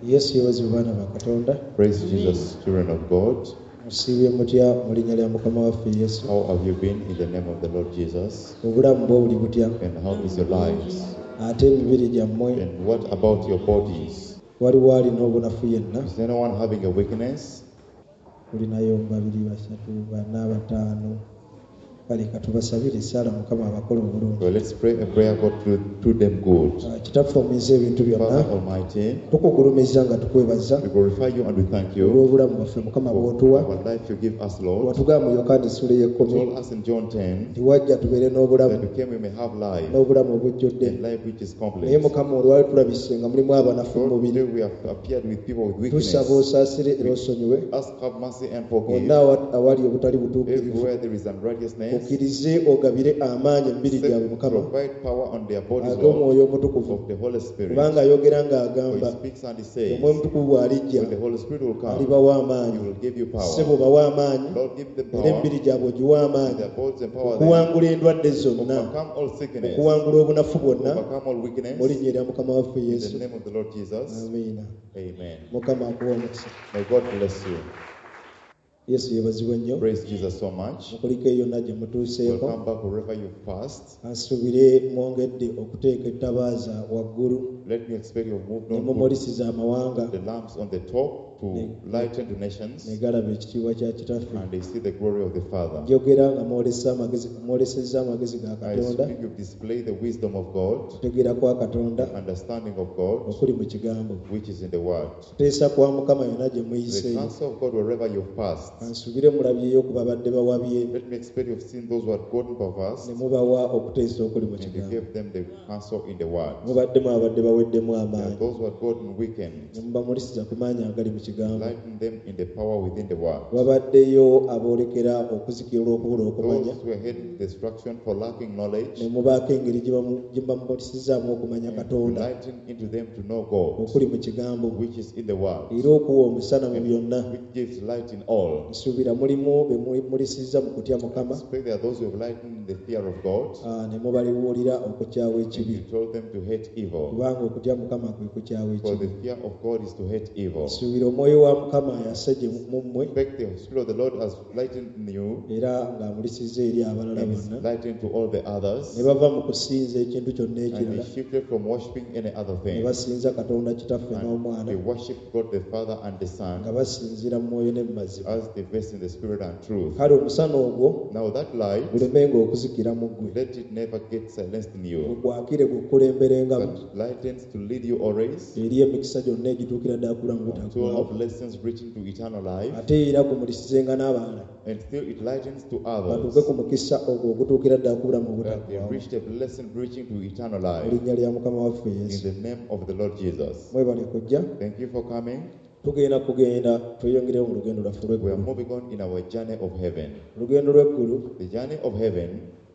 Yesu yeebazibwe, baana ba Katonda. Praise Jesus, children of God. Musiibye mutya mu linnya lya Mukama waffe Yesu? How have you been in the name of the Lord Jesus? Obulamu bwo buli butya? And how is your lives? Ate emibiri gyammwe? And what about your bodies? Waliwo alina obunafu yenna? Is anyone having a weakness? Tulinayo babiri, basatu, bana, bataano. Kale katubasabire essaala, Mukama abakole obulungi. Well, let's pray a prayer, God, to them good. Ah, Kitaffe omuyinza ebintu byonna, Father Almighty, tukugulumiza nga tukwebaza we glorify you and we thank you olw'obulamu bwaffe, Mukama, for bw'otuwa. our life you give us, Lord. Watugamba mu Yokaana essula ey'ekkumi Told us in John 10 nti wajja tubeere n'obulamu that we came we may have life n'obulamu obujjudde. and life which is Naye complete. Mukama, olwali tulabise nga mulimu abanafu mu Lord, mubiri. today we have appeared with people with weakness. Tusaba osaasire era osonyiwe Ask, have mercy and forgive. wonna awali obutali butuukirivu. Everywhere there is unrighteousness, Okkirize ogabire amaanyi emibiri gyabwe, Mukama, provide power on their bodies, Lord, ag'Omwoyo Omutukuvu, of the Holy Spirit. kubanga ayogera For ng'agamba, he speaks and he says, Omwoyo Omutukuvu bw'alijja when the Holy Spirit will come, alibawa he amaanyi. will give you power. Ssebo, bawe amaanyi Lord, give them era power. emibiri gyabwe ogiwe amaanyi Their bodies empower them. okuwangula endwadde zonna, Overcome all sickness. okuwangula obunafu bwonna, Overcome all weakness. mu linnya erya Mukama waffe In Yesu. the name of the Lord Jesus. Amiina. Amen. Mukama akuwa omukisa. May God bless you. Yesu yeebazibwe nnyo. Praise Jesus so much. Mukuliko eyo yonna gye mutuuseeko. Welcome back wherever you've passed. Ansuubire mwongedde okuteeka ettabaaza waggulu Let me expect you've moved ne on. Put mumulisiza amawanga the lamps on the top to lighten the nations ne galaba ekitiibwa kya Kitaffe. and they see the glory of the Father. Njogera nga mwolesezza amagezi ga I Katonda, speak, you've displayed the wisdom of God, okutegeera kwa Katonda the understanding of God, okuli mu kigambo, which is in the Word. kuteesa kwa Mukama yonna gye The muyiseeyo. counsel of God wherever you've passed. Kansuubire mulabyeyo ku babadde bawabye Let me expect you've seen those who had gotten perverse ne mubawa okuteesa okuli mu and you kigambo. gave them the counsel in the Word. Mubaddemu abadde baweddemu There are amaanyi those who had gotten weakened, ne mubamulisiza ku maanyi agali mu kigambo. lighten them in the power within the Word. Wabaddeyo aboolekera okuzikirira olw'okubula okumanya Those who are heading to destruction for lacking knowledge, ne mubaako engeri gye mubamulisizzaamu okumanya Katonda lighten into them to know God, okuli mu kigambo, which is in the Word, era okuwa omusana mu byonna. which gives light in all. Nsuubira mulimu be mulisizza mu kutya Mukama, Expect there are those who have lightened in the fear of God, ah, ne mubalibuulira okukyawa and ekibi, you told them to hate evil. kubanga okutya Mukama kwe kukyawa For the ekibi. fear of God is to hate evil. Nsuubira Omwoyo wa Mukama ayase gye mu mmwe Expect the Spirit of the Lord has lightened in you era ng'amulisizza eri abalala and is bonna, lightened to all the others, ne bava mu kusinza ekintu kyonna and they ekirala shifted from worshiping any other ne thing. basinza Katonda Kitaffe And n'Omwana they worship God the Father and the nga Son basinziira mu mwoyo ne mu mazima. as they verse in the Spirit and truth. Kale omusana ogwo Now that light, gulemenga okuzikira mu ggwe, let it never get silenced in you, gukwakire gukulemberengamu but lightens to lead you always eri emikisa gyonna egituukira ddala ku bulamu to all butaggwaawo, blessings reaching to eternal life, ate era gumulisizenga n'abalala and still it lightens to batuuke others ku mukisa ogwo ogutuukira ddala ku bulamu that they obutaggwaawo, reach the blessing reaching to eternal mu life. linnya lya Mukama waffe In Yesu. the name of the Lord Jesus. Mwebale kujja. Thank you for coming. Tugenda kugenda tweyongereyo mu lugendo lwaffe We are olw'eggulu. moving on in our journey of heaven. Olugendo lw'eggulu, The journey of heaven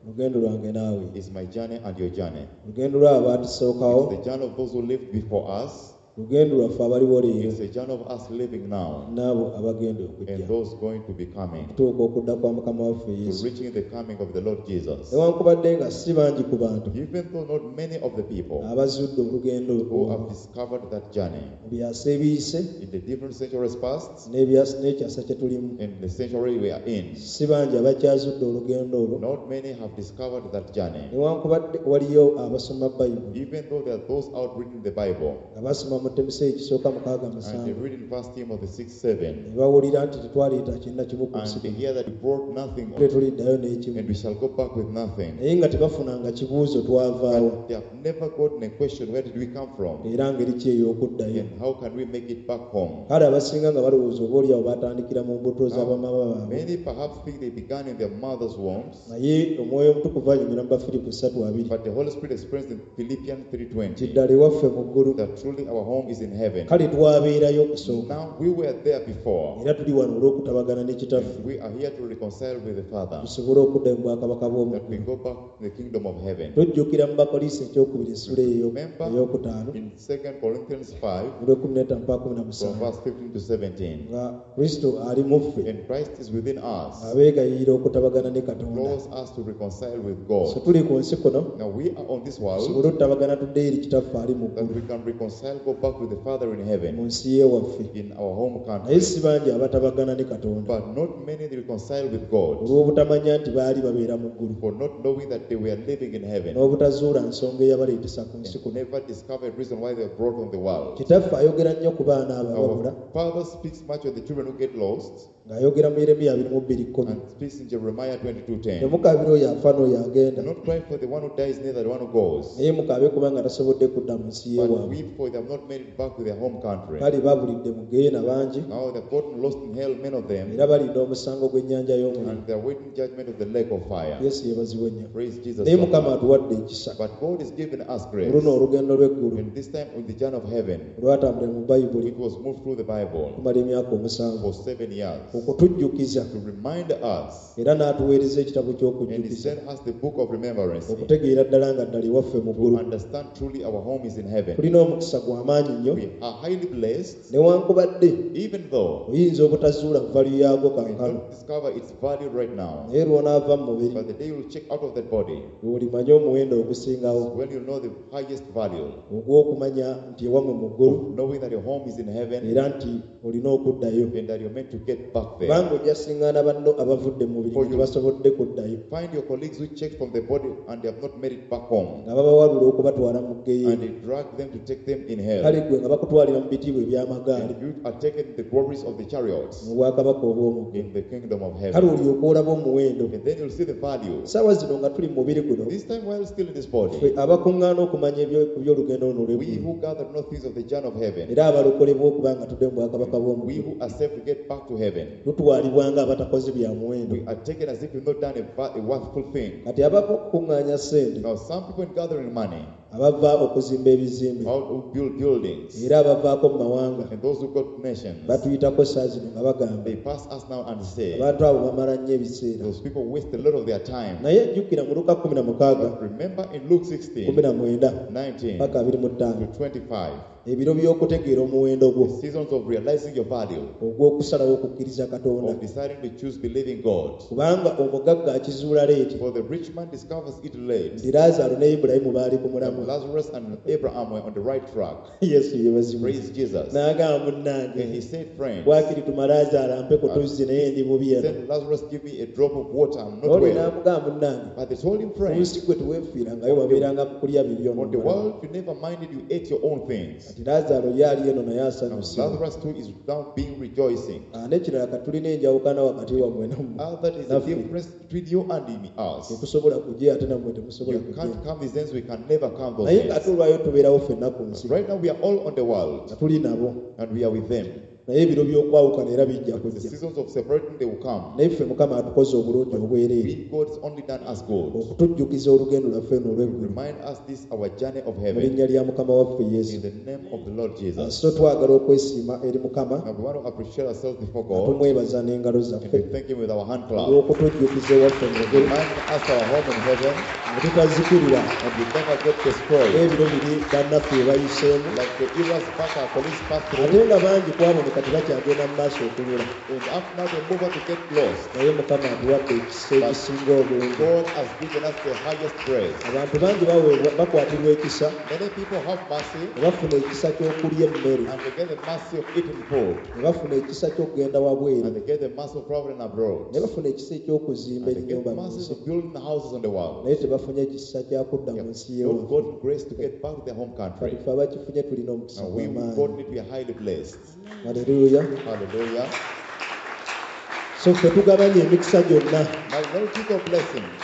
lugendo lwange naawe, is my journey and your journey. lugendo lw'abatusookawo, It's the journey of those who lived before us. lugendo lwaffe abaliwo leero It's the journey of us living now n'abo abagenda okujja and those going to be coming, okutuuka okudda kwa Mukama waffe to Yesu. reaching the coming of the Lord Jesus. Newankubadde nga si bangi ku bantu Even though not many of the people abazudde olugendo who olwo have discovered that journey mu byasa ebiyise in the different centuries past n'ekyasa kye tulimu, and the century we are in, si bangi abakyazudde olugendo olwo, not many have discovered that journey. newankubadde waliyo abasoma Bayibuli Even though there are those out reading the Bible nga basoma mu Timoseewo ekisooka mukaaga and they musanvu read in 1 Timothy 6 7 ne bawulira nti tetwaleeta kinna kimu ku and nsi they kuno, hear that we brought nothing tetuliddayo n'ekimu, and we shall go back with nothing. naye nga tebafunanga kibuuzo twavaawo But they have never gotten a question, where did we come from? era ngeri ki ey'okuddayo. And how can we make it back home? Kale abasinga nga balowooza oba oliawo batandikira mu mbuto z'abamama baabwe, Many perhaps think they began in their mother's wombs, naye Omwoyo Omutukuvu anyumira mu Bafiripo 3:20 but the Holy Spirit expressed in Philippians nti 3:20 ddala ewaffe mu ggulu. that truly our home is in heaven. Kale twabeerayo okusooka, Now we were there before. era tuli wano olw'okutabagana ne Kitaffe We are here to reconcile with the Father, tusobole okudda mu bwakabaka bw'omu that we ggulu. go back to the kingdom of heaven. Tujjukira mu Bakolisi ekyokubiri essula Remember ey'okutaano in 2 Corinthians 5, olw'ekkumi n'ettaano mpaka kumi na from musanvu verse 15 to 17, nga Kristo ali mu ffe and Christ is within us, abeegayirira okutabagana ne Katonda. draws us to reconcile with So God. tuli ku nsi kuno Now we are on this world tusobole okutabagana tuddeyo eri Kitaffe ali mu that ggulu. we can reconcile, go back to the Father in mu heaven, nsi y'ewaffe. in our home Naye country. si bangi abatabagana ne Katonda But not many reconcile with God olw'obutamanya nti baali babeera mu ggulu for not knowing that they were living in heaven n'obutazuula nsonga eyabaleetesa ku nsi and kuno. never discovered reason why they were brought on the world. Kitaffe ayogera nnyo ku baana abo ababula Our Father speaks much of the children who get lost ng'ayogera mu Yeremiya 22:10. and speaks in Jeremiah 22:10. Temukaabira oyo afa n'oyo agenda, Do not cry for the one who dies, neither the one who goes, naye mukaabe kubanga tasobodde kudda mu nsi but y'ewaabwe. weep for they have not made it back to their home country. Kale babulidde mu ggeyeena bangi Now they have gotten lost in hell, many of them, era balinda omusango gw'ennyanja y'omuliro. and they are waiting judgment of the lake of fire. Yesu yeebazibwe nnyo. Praise Jesus. Naye So Mukama much. atuwadde ekisa. But God has given us Mu grace. luno olugendo lw'eggulu And this time on the journey of heaven, olwatambulira mu Bayibuli it was moved through the Bible okumala emyaka 7 for 7 years okutujjukiza to remind us. era n'atuweereza ekitabo And He ky'okujjukiza sent us the book of remembrance to okutegeera ddala nga ddala ewaffe mu ggulu. understand truly our home is in heaven. Tulina omukisa gw'amaanyi nnyo We are highly blessed, newankubadde even though oyinza obutazuula value yaagwo we kaakano, don't discover its value right now. naye lw'onaava mu mubiri But the day you'll check out of that body, lw'olimanya omuwendo ogusingawo when you know the highest value, ogw'okumanya nti ewammwe mu ggulu of knowing that your home is in heaven era nti olina okuddayo and that you're meant to get back there. kubanga ojja siŋŋaana banno abavudde mu mubiri For nga you. tebasobodde kuddayo Find your colleagues who checked from the body and they have not made it back home, nga babawalula okubatwala mu ggeyeena. and they drag them to take them in hell. Kale ggwe nga bakutwalira mu bitiibwa eby'amagaali And you are taken the glories of the chariots mu bwakabaka obw'omu ggulu. in the kingdom of Kale heaven. olyoke olaba omuwendo. And then you'll see the value. Ssaawa zino nga tuli mu mubiri guno, This time, while still in this body, ffe abakuŋŋaana okumanya ku by'olugendo luno we olw'eggulu who gather no things of the journey of heaven, era abalokolebwa okuba nga tudde mu bwakabaka bw'omu we ggulu, who are saved to get back to heaven, tutwalibwa nga abatakoze bya muwendo. we are taken as if we've not done a worthful thing. Kati abava okukuŋŋaanya ssente, Now, some people in gathering money, abava okuzimba ebizimbe, how to build buildings, era abavaako mu mawanga and those who got nations, batuyitako saa zino nga bagamba they pass us now and say, abantu abo bamala nnyo ebiseera. those people waste a lot of their time. Naye jjukira mu Luka 16 But remember in Luke 16, 19 19 paka 25 to 25, ebiro by'okutegeera omuwendo gwo the seasons of realizing your value, ogw'okusalawo okukkiriza Katonda of deciding to choose believing God. kubanga omugagga akizuula leeti For the rich man discovers it late. nti Laazaalo ne Ibulayimu baali ku That mulamwa. Lazarus and Abraham were on the right track. Yesu yeebazibwe. Praise Jesus. N'agamba And munnange he said, friends, waakiri tuma Laazaalo ampe ku tuzzi naye ndi bubi eno. send Lazarus, give me a drop of water. I'm not Oli well. n'amugamba munnange But they told him, ku friends, nsi gwe teweefiirangayo wabeeranga mu kulya bibyo on the n'omulamu. world you never minded, you ate your own things. Kati Laazaalo ye ali eno naye Now asanyuse. Lazarus too is now being rejoicing. N'ekirala kati tulina enjawukana wakati wammwe nammwe. That is the Naffe. difference between you and me, us. Tetusobola kujja ate nammwe temusobola You kujja. can't come these ends, we can never come those Naye ng'ate ends. olwayo tubeerawo ffenna ku nsi Right now we are all on the world nga tuli nabo and we are with them. naye ebiro by'okwawukana era bijja The kujja. seasons of separating, they will come. Naye ffe Mukama atukoze obulungi obwereere We, God has only done us good. okutujjukiza olugendo lwaffe eno olw'eggulu Remind us this, our journey of mu heaven, linnya lya Mukama waffe in Yesu. the name of the Lord Jesus. So twagala okwesiima eri Mukama Now we want to appreciate ourselves before nga God tumwebaza n'engalo and zaffe we thank Him with our hand clap. olw'okutujjukiza ewaffe mu ggulu Remind us our home in heaven nga tutazikirira and we never get destroyed. n'ebiro biri bannaffe bye bayiseemu Like the eras back, our colleagues passed ate through, nga bangi ku abo ne kati bakyagenda mu maaso okubula. and up now they move on to get lost. Naye Mukama atuwadde ekisa ekisinga obungi. God has given us the highest grace. Abantu bangi baweebwa bakwatirwa ekisa Many people have mercy ne bafuna ekisa ky'okulya emmere and they get the mercy of eating food, ne bafuna ekisa ky'okugenda wabweru and they get the mercy of traveling abroad, ne bafuna ekisa eky'okuzimba and they get ennyumba mu mercy nsi of building houses on the world. naye tebafunye ekisa kya kudda mu nsi Not y'ewaffe. gotten grace to get back to their home country. Kati ffe abakifunye tulina omukisa Now we who gw'amaanyi. got it, we are highly blessed. Haleluya. Hallelujah. So ffe tugabanye emikisa gyonna Now, multitude of blessings,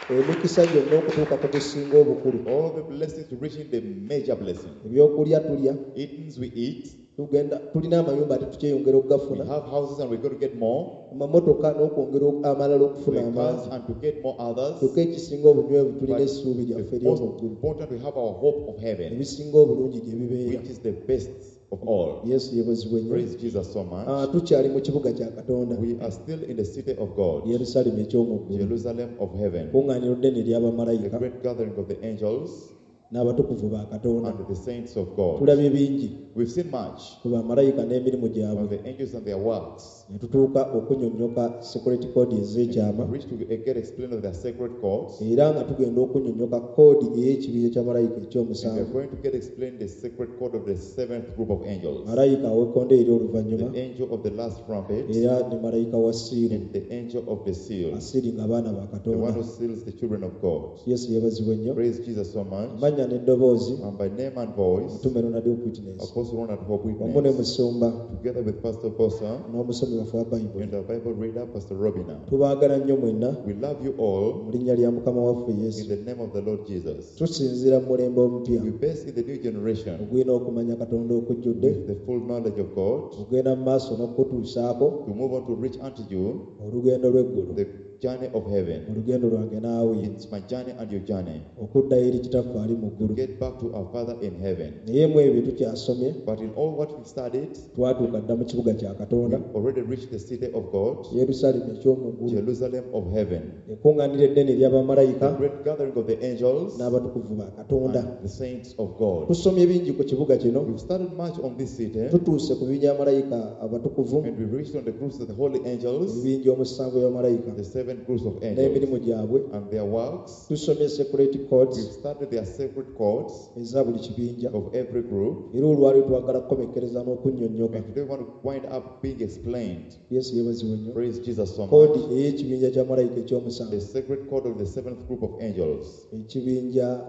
emikisa gyonna okutuuka ku gusinga obukulu. all the blessings to reaching the major blessing. Ebyokulya tulya, Eatings we eat, tugenda tulina amayumba ate tukyeyongera we okugafuna, have houses and we're going to get more, amamotoka n'okwongera amalala okufuna the cars amangi. and to get more others. Kyokka ekisinga obunywevu tulina But essuubi lyaffe the most ery'omu ggulu. important, we have our hope of heaven, Ebisinga obulungi gye bibeera. which is the best of all. Yesu yeebazibwe nnyo. Praise Jesus so much. Tukyali mu kibuga kya Katonda, We are still in the city of God, Yerusaalemi eky'omu ggulu, Jerusalem of heaven, kuŋŋaaniro ddene the ery'abamalayika great gathering of the angels n'abatukuvu ba Katonda. and the saints of God. Tulabye bingi. We've seen much ku bamalayika n'emirimu gyabwe on the angels and their works. Ne tutuuka okunnyonnyoka secret code ez'ekyama We reached to get explained of their sacred codes. Era nga tugenda okunnyonnyoka koodi ey'ekibinja kya malayika And we are ekyomusanvu going to get explained the sacred code of the seventh group of angels. Malayika ow'ekkonde eri oluvannyuma The angel of the last trumpet era ne malayika wa siiru and the angel of the seal. Asiiri nga baana ba The one Katonda who seals the children of God. Yesu yeebazibwe nnyo Praise Jesus so much. Amannya n'eddoboozi And by name and voice, Mutume Ronald Witness Apostle Ronald Hope wamu ne Witness, musumba together with Pastor Bosa n'omusomi waffe wa Bayibuli and our Bible reader, Pastor Robina. Tubaagala nnyo mwenna We love you all mu linnya lya Mukama waffe in Yesu the name of the Lord Jesus. Tusinziira mu mulembe omupya We base in the new generation ogulina okumanya Katonda okujjudde with the full knowledge of God ogenda mu maaso n'okukutuusaako to move on to reach unto you olugendo lw'eggulu the journey of heaven. Olugendo lwange naawe It's my journey and your journey okuddayo eri kitaffe ali mu to ggulu get back to our Father in heaven. Naye mu ebyo tukyasomye But in all what we've studied, twatuuka dda mu kibuga kya we Katonda already reached the city of God, Yerusaalemi eky'omu ggulu Jerusalem of heaven, ekkuŋŋaaniro eddene ery'abamalayika the great gathering of the angels n'abatukuvu ba Katonda and the saints of God. Tusomye bingi ku kibuga kino We've studied much on this city, tutuuse ku bibinja by'amalayika abatukuvu and we've reached on the groups of the holy angels, ebibinja omusanvu by'abamalayika the seven groups of n'emirimu angels, gyabwe and their works. Tusomye secret codes We've studied their sacred codes eza buli kibinja of every group, era olwaliro twagala kukomekkereza n'okunnyonnyoka and today we want to wind up being explained. Yesu yeebazibwe nnyo Praise Jesus so Koodi much. ey'ekibinja kya malayika The ekyomusanvu sacred code of the seventh group of angels, ekibinja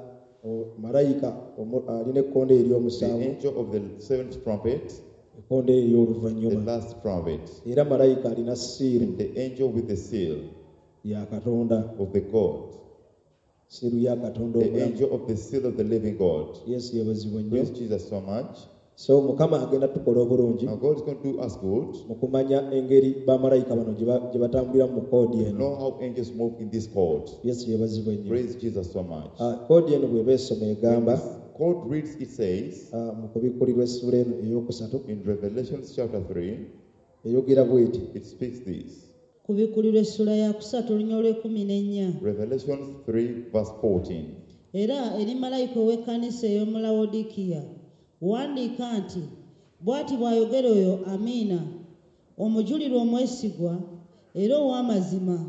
o- malayika omu- alina ekkonde the ery'omusanvu angel of the seventh trumpet, ekkonde the ery'oluvannyuma last trumpet, era malayika alina siiru and the angel with the seal ya Katonda of the God, siiru ya Katonda the omulamu angel of the seal of the living God. Yesu yeebazibwe nnyo Praise Jesus so much. So Mukama agenda tukola obulungi Now God is going to do us good. mu kumanya engeri bamalayika bano gye ba- gye batambulira mu koodi To eno know how angels move in this code. Yesu yeebazibwe nnyo Praise Jesus so much. Ah, koodi eno bw'eba esoma When egamba this code reads, it says ah, mu kubikkulirwa essula eno eyokusatu in Revelation chapter 3, eyogera bw'eti it speaks this. Kubikkulirwa essula ya kusatu olunya olw'ekumi n'ennya Revelation 3, verse 14. Era eri malayika ow'ekkanisa ey'omu Lawodikiya wandiika nti bw'ati bw'ayogera oyo Amiina omujulirwa omwesigwa era ow'amazima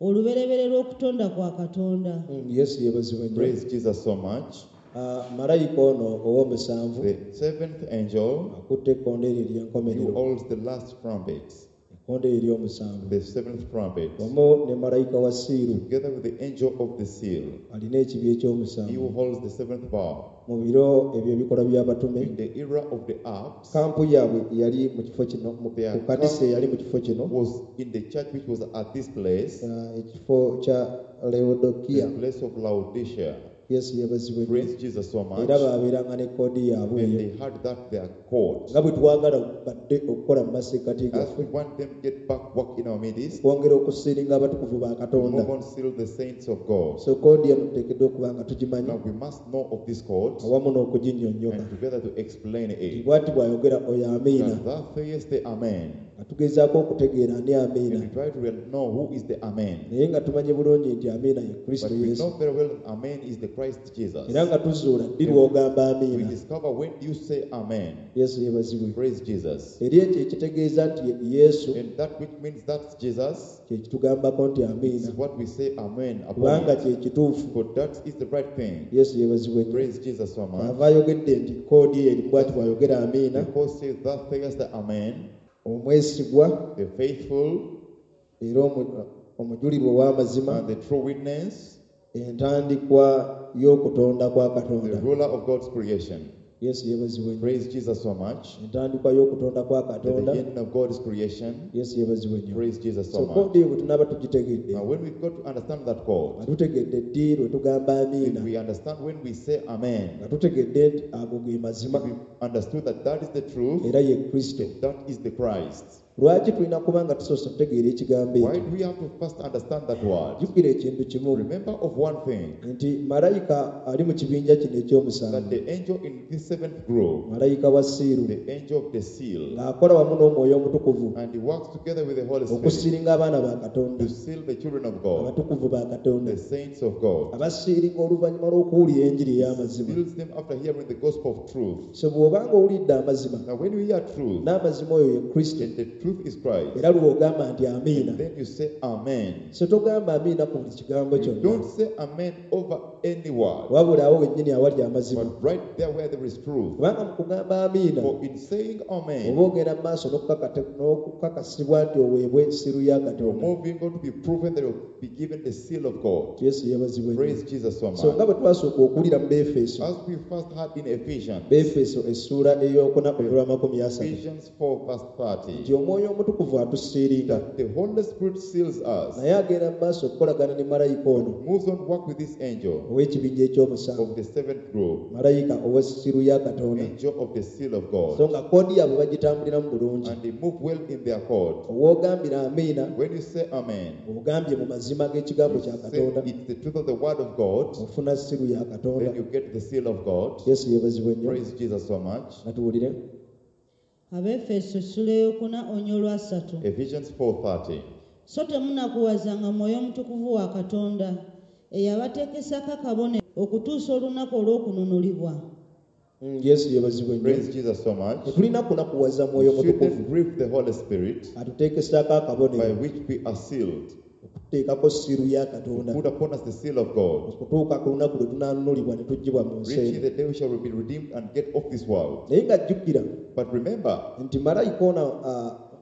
olubereberye lw'okutonda kwa Katonda Yesu yeebazibwe nnyo Praise Jesus so much. Ah, malayika ono ow'omusanvu The seventh angel akutte ekkonde eryo who ery'enkomerero holds the last trumpet, ekkonde eryo ery'omusanvu the seventh trumpet, wamu ne malayika wa siiru together with the angel of the seal, alina ekibi he who ekyomusanvu holds the seventh bow. Mu biro ebyo ebikolwa by'abatume In the era of the Acts, kampu yaabwe yali mu kifo kino mu Their ku kanisa eyali mu kifo kino was in the church which was at this place, ah, ekifo kya Leodokiya the place of Laodicea. Yesu yeebazibwe nnyo Praise Jesus so much. Era baabeeranga ne koodi yaabwe And eyo they had that their code. Nga bwe twagala badde okukola mu masekkati As gaffe we want them to get back work in our midst, kwongera okusiiringa abatukuvu ba Katonda move on seal the saints of God. So koodi eno tuteekeddwa okuba nga tugimanyi Now we must know of this code awamu n'okuginnyonnyoka and together to explain it. Bw'ati bw'ayogera oyo Amiina That thou sayest the Amen. Nga tugezaako okutegeera ani And Amiina we try to know who is the Amen. Naye nga tumanyi bulungi nti Amiina ye Kristo But we Yesu know very well Amen is the Christ Jesus. Era nga tuzuula ddi lw'ogamba We Amiina discover when you say Amen. Yesu yeebazibwe Praise Jesus. Eri ekyo ekitegeeza nti ye Yesu And that which means that's Jesus kye kitugambako nti is Amiina what we say Amen upon. Kubanga kye kituufu For that is the right thing. Yesu yeebazibwe nnyo Praise Jesus so much. Ava ayogedde nti koodi eri bw'ati bw'ayogera Amiina Because says that says the Amen, omwesigwa the faithful era omu- omujulirwa ow'amazima and the true witness, entandikwa y'okutonda kwa the Katonda ruler of God's creation. Yesu yeebazibwe nnyo Praise Jesus so much. Entandikwa y'okutonda kwa The Katonda beginning of God's creation. Yesu yeebazibwe nnyo Praise Jesus So so much. koodi eyo bwe tunaaba tugitegedde Now, when we got to understand that code, nga tutegedde ddi lwe tugamba if amiina we understand when we say Amen, nga tutegedde nti ago ge mazima we understood that that is the truth, era ye Kristo that is the Christ. Lwaki tulina kuba nga tusoose okutegeera ekigambo Why ekyo? do we have to first understand that word? Jjukira ekintu kimu Remember of one thing, nti malayika ali mu kibinja kino that ekyomusanvu, the angel in this seventh group, malayika wa siiru, the angel of the seal, ng'akola wamu n'omwoyo omutukuvu and he works together with the Holy Spirit okusiiringa abaana ba Katonda, to seal the children of God, abatukuvu ba Katonda, the saints of God. abasiiringa oluvannyuma lw'okuwulira enjiri ey'amazima. Seals them after hearing the gospel of truth. So bw'obanga owulidde amazima, Now, when you hear truth, n'amazima oyo ye Kristo, and the truth is Christ, era lw'ogamba nti amiina. then you say Amen. So togamba amiina ku buli kigambo You kyonna, don't say Amen over any word, wabula awo wennyini awali amazima. but right there where there is truth. Kubanga mu kugamba amiina For in saying Amen, oba ogenda mu maaso n'okukakasibwa nti oweebwe siru ya you're Katonda. moving on to be proven that you'll be given the seal of God. Yesu yeebazibwe nnyo. Praise Jesus so So nga much. bwe twasooka okuwulira mu Beefeso, As we first heard in Ephesians, Beefeso essuula ey'okuna olw'amakumi asatu, Ephesians 4, verse nti 30, omwoyo omutukuvu atusiiringa, that the Holy Spirit seals us, naye agenda mu maaso okukolagana ne malayika ono moves on work with this angel ow'ekibinja ekyomusanvu, of the seventh group, malayika ow'essiru ya Katonda. angel of the seal of So God, nga koodi yaabwe bagitambuliramu bulungi. and they move well in their code. Owoogambira amiina, When you say Amen, ogambye mu mazima g'ekigambo you kya say Katonda, it's the truth of the word of God, ofuna siru ya Katonda. then you get the seal of God. Yesu yeebazibwe nnyo. Praise Jesus so much. Nga tuwulire. Abeefeso essula ey'okuna onyo olwasatu. Ephesians 4:30. So temunakuwazanga mwoyo omutukuvu wa Katonda eyabateekesako akabonero okutuusa olunaku olw'okununulibwa. Yesu yeebazibwe nnyo. Praise Jesus so much. Tetulina kunakuwaza mwoyo We shouldn't mutukuvu grieve the Holy Spirit atuteekesaako by akabonero which we are sealed. okuteekako siru ya Katonda Put upon us the seal of God, okutuuka ku lunaku lwe tunaanunulibwa ne tuggyibwa mu nsi reaching eno. the day we shall be redeemed and get off this world. Naye nga jjukira But remember, nti malayika ono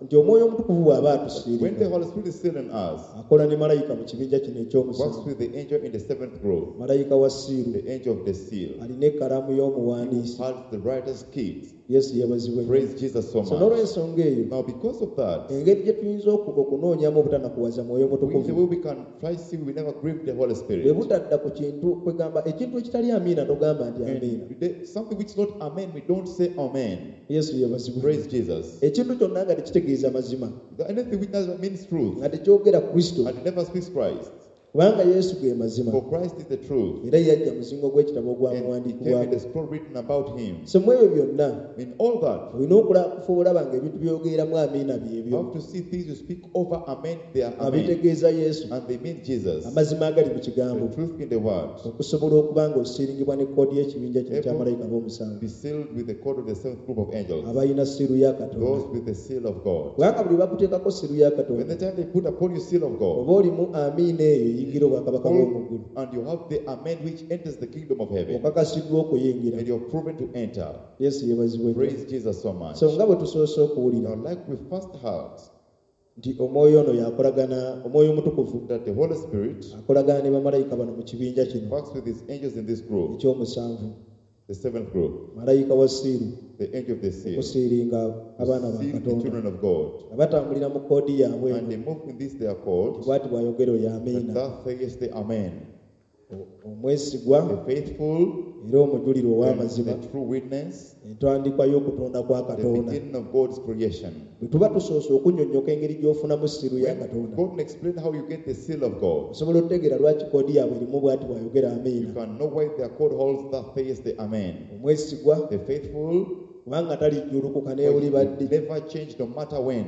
nti omwoyo omutukuvu bw'aba when the atusiiringa Holy Spirit is sealing us, akola ne malayika mu kibinja kino works ekyomusanvu, with the angel in the seventh group, malayika wa siiru the angel of the seal, alina ekkalaamu y'omuwandiisi. has the writer's keys. Yesu yeebazibwe nnyo. Praise Jesus so So much. n'olw'ensonga eyo Now, because of that, engeri gye tuyinza okunoonyamu obutanakuwaza mwoyo we, the mutukuvu way we can try see we never grieve the Holy bwe Spirit. butadda ku kintu kwegamba ekintu ekitali amiina togamba nti amiina. And something which is not amen, we don't say amen. Yesu yeebazibwe. Praise Jesus. Ekintu kyonna nga tekitegeeza mazima, Anything which doesn't means truth nga tekyogera Kristo, and it never speaks Christ. kubanga Yesu ge mazima For Christ is the truth. era yajja muzingo gw'ekitabo And he came in ogwamuwandiikibwako. the scroll written about him. So mu ebyo byonna In all that, olina okufa olaba ng'ebintu byogereramu amiina you byebyo have to see things you speak over amen, they are nga amen. bitegeeza Yesu, And they mean Jesus. amazima agali mu kigambo, The truth in the word. okusobola okuba ng'osiringibwa ne koodi y'ekibinja kino kya malayika b'omusanvu Be sealed with the code of the seventh group of angels. abalina siru ya Katonda. Those with the seal of God. Kubanga buli bakuteekako siru ya When Katonda the time they put upon you seal of God, oba olimu amiina eyo eyingira obwakabaka bw'omu ggulu, and you have the amen which enters the kingdom of heaven, okakasiddwa okuyingira. and you're proven to enter. Yesu yeebazibwe nnyo. Praise Jesus so much. So nga bwe tusoose okuwulira Now, like we first heard, nti omwoyo ono yakolagana, omwoyo omutukuvu that the Holy Spirit akolagana ne bamalayika bano mu kibinja kino works with his angels in this group, ekyomusanvu, the seventh group, malayika wa siiru the angel of the seal, okusiiringa abaana ba seal the Katonda children of God. nga batambulira mu koodi yaabwe And eno they move in this their code, bw'ati bw'ayogera oyo and amiina, thus says the Amen. Omwesigwa The faithful era omujulirwa and ow'amazima, the true witness, entandikwa y'okutonda kwa the Katonda. beginning of God's creation. Bwe tuba tusoose okunnyonnyoka engeri gy'ofunamu siiru ya When Katonda, God will explain how you get the seal of God, osobola okutegeera lwaki koodi yaabwe erimu bw'ati bw'ayogera you amiina, can know why their code holds thus says the Amen. omwesigwa The faithful kubanga talijjulukuka will n'ewuliba ddi, never change no matter when.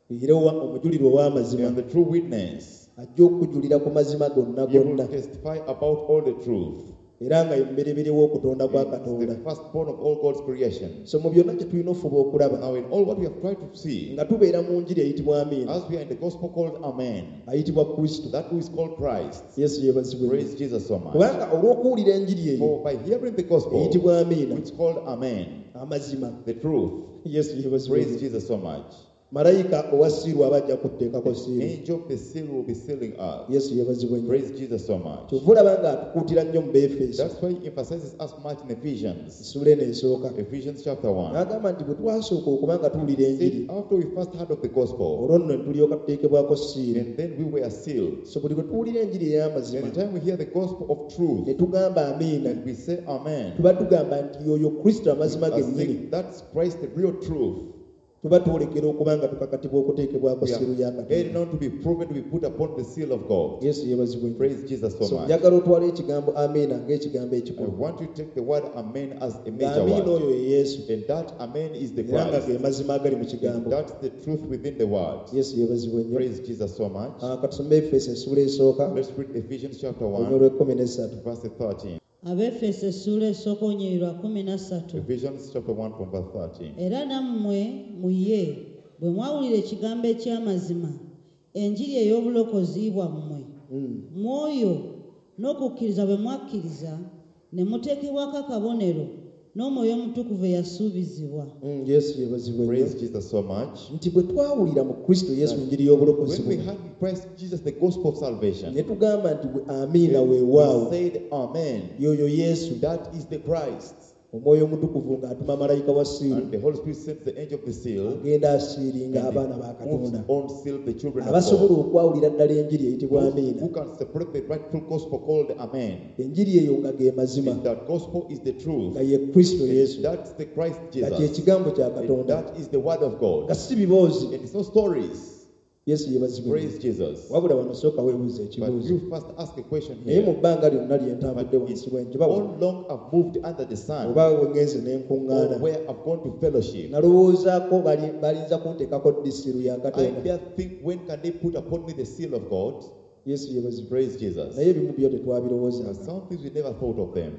era omujulirwa ow'amazima And the true witness, ajja okujulira ku mazima gonna he will gonna, testify about all the truth. era nga ye mubereberye w'okutonda kwa He is Katonda. the firstborn of all God's creation. So mu byonna kye tulina ofuba okulaba Now, in all what we have tried to see, nga tubeera mu njiri eyitibwa amiina, as we are in the gospel called Amen, ayitibwa Kristo. that who is called Christ. Yesu yeebazibwe nnyo. Praise Jesus so much. Kubanga olw'okuwulira enjiri eyo For by hearing the gospel, eyitibwa amiina, which is called Amen, amazima, the truth, Yesu yeebazibwe praise nnyo. Jesus so much. Malayika owa siiru aba ajja kuteekako siiru. Angel of the seal will be sealing us. Yesu yeebazibwe nnyo. Praise Jesus so much. Kyova olaba ng'atukuutira nnyo mu Beefeso That's why he emphasizes us much in Ephesians. essuula eno esooka, Ephesians chapter 1. n'agamba nti bwe twasooka okuba nga tuwulira enjiri, Said, after we first heard of the gospel, olwo nno ne tulyoka tuteekebwako siiru. and then we were sealed. So buli lwe tuwulira enjiri ey'amazima And the time we hear the gospel of truth, ne tugamba amiina, and we say Amen, tuba tugamba nti yoyo Kristo amazima we are gennyini. saying that's Christ, the real truth. Tuba twolekera okuba nga tukakatibwa okuteekebwako We siiru ya are Katonda. heading on to be proven to be put upon the seal of God. Yesu yeebazibwe nnyo. Praise Jesus so So much. njagala otwale ekigambo amiina ng'ekigambo I ekikulu. want you to take the word amen as a Nga major amiina word. oyo ye Yesu. And that amen is the Era nga Christ. ge mazima agali mu And kigambo. that's the truth within the word. Yesu yeebazibwe nnyo. Praise Jesus so much. Ah, katusome Efeso essuula esooka Let's read Ephesians chapter olunyiriri 1, lw'ekkumi n'essatu. verse 13. Abeefeso essuula esooka olunyiriri lwa 13. Ephesians chapter 1 from verse 13. Era nammwe mu ye bwe mwawulira ekigambo eky'amazima, enjiri ey'obulokozi bwammwe, mwoyo n'okukkiriza bwe mwakkiriza, ne muteekebwako akabonero n'Omwoyo Omutukuvu eyasuubizibwa. Yesu yeebazibwe nnyo. Praise Jesus so much. Nti bwe twawulira mu Kristo Yesu enjiri y'obulokozi When we buno, had in Christ Jesus the gospel of salvation, ne tugamba nti bwe amiina we weewaawo said amen. y'oyo Yesu. That is the Christ. Omwoyo Omutukuvu ng'atuma malayika wa siiru And the Holy Spirit sends the angel of the seal agenda asiiringa and abaana ba he moves Katonda on seal the children of abasobola God. okwawulira ddala enjiri eyitibwa Those amiina. who can separate the rightful gospel called amen. Enjiri eyo nga ge mazima, And that gospel is the truth. nga ye Kristo Yesu, That's the Christ nga kye Jesus. kigambo kya And Katonda, that is the word of God. nga si biboozi. And it's no stories. Yesu yeebazibwe. Praise Jesus. Wabula wano sooka weebuuze But ekibuuzo. you first ask a question Naye mu here. bbanga lyonna lye But ntambudde wansi it's w'enjuba wano, all long I've moved under the sun, oba we ŋŋenze ne or nkuŋŋaana, where I've gone to fellowship, nalowoozaako balinza kunteekako ddi siiru ya I Katonda. dare think, when can they put upon me the seal of God? Yesu yeebazibwe. Praise Jesus. Naye ebimu byo But tetwabirowoozanga, some things we never thought of them.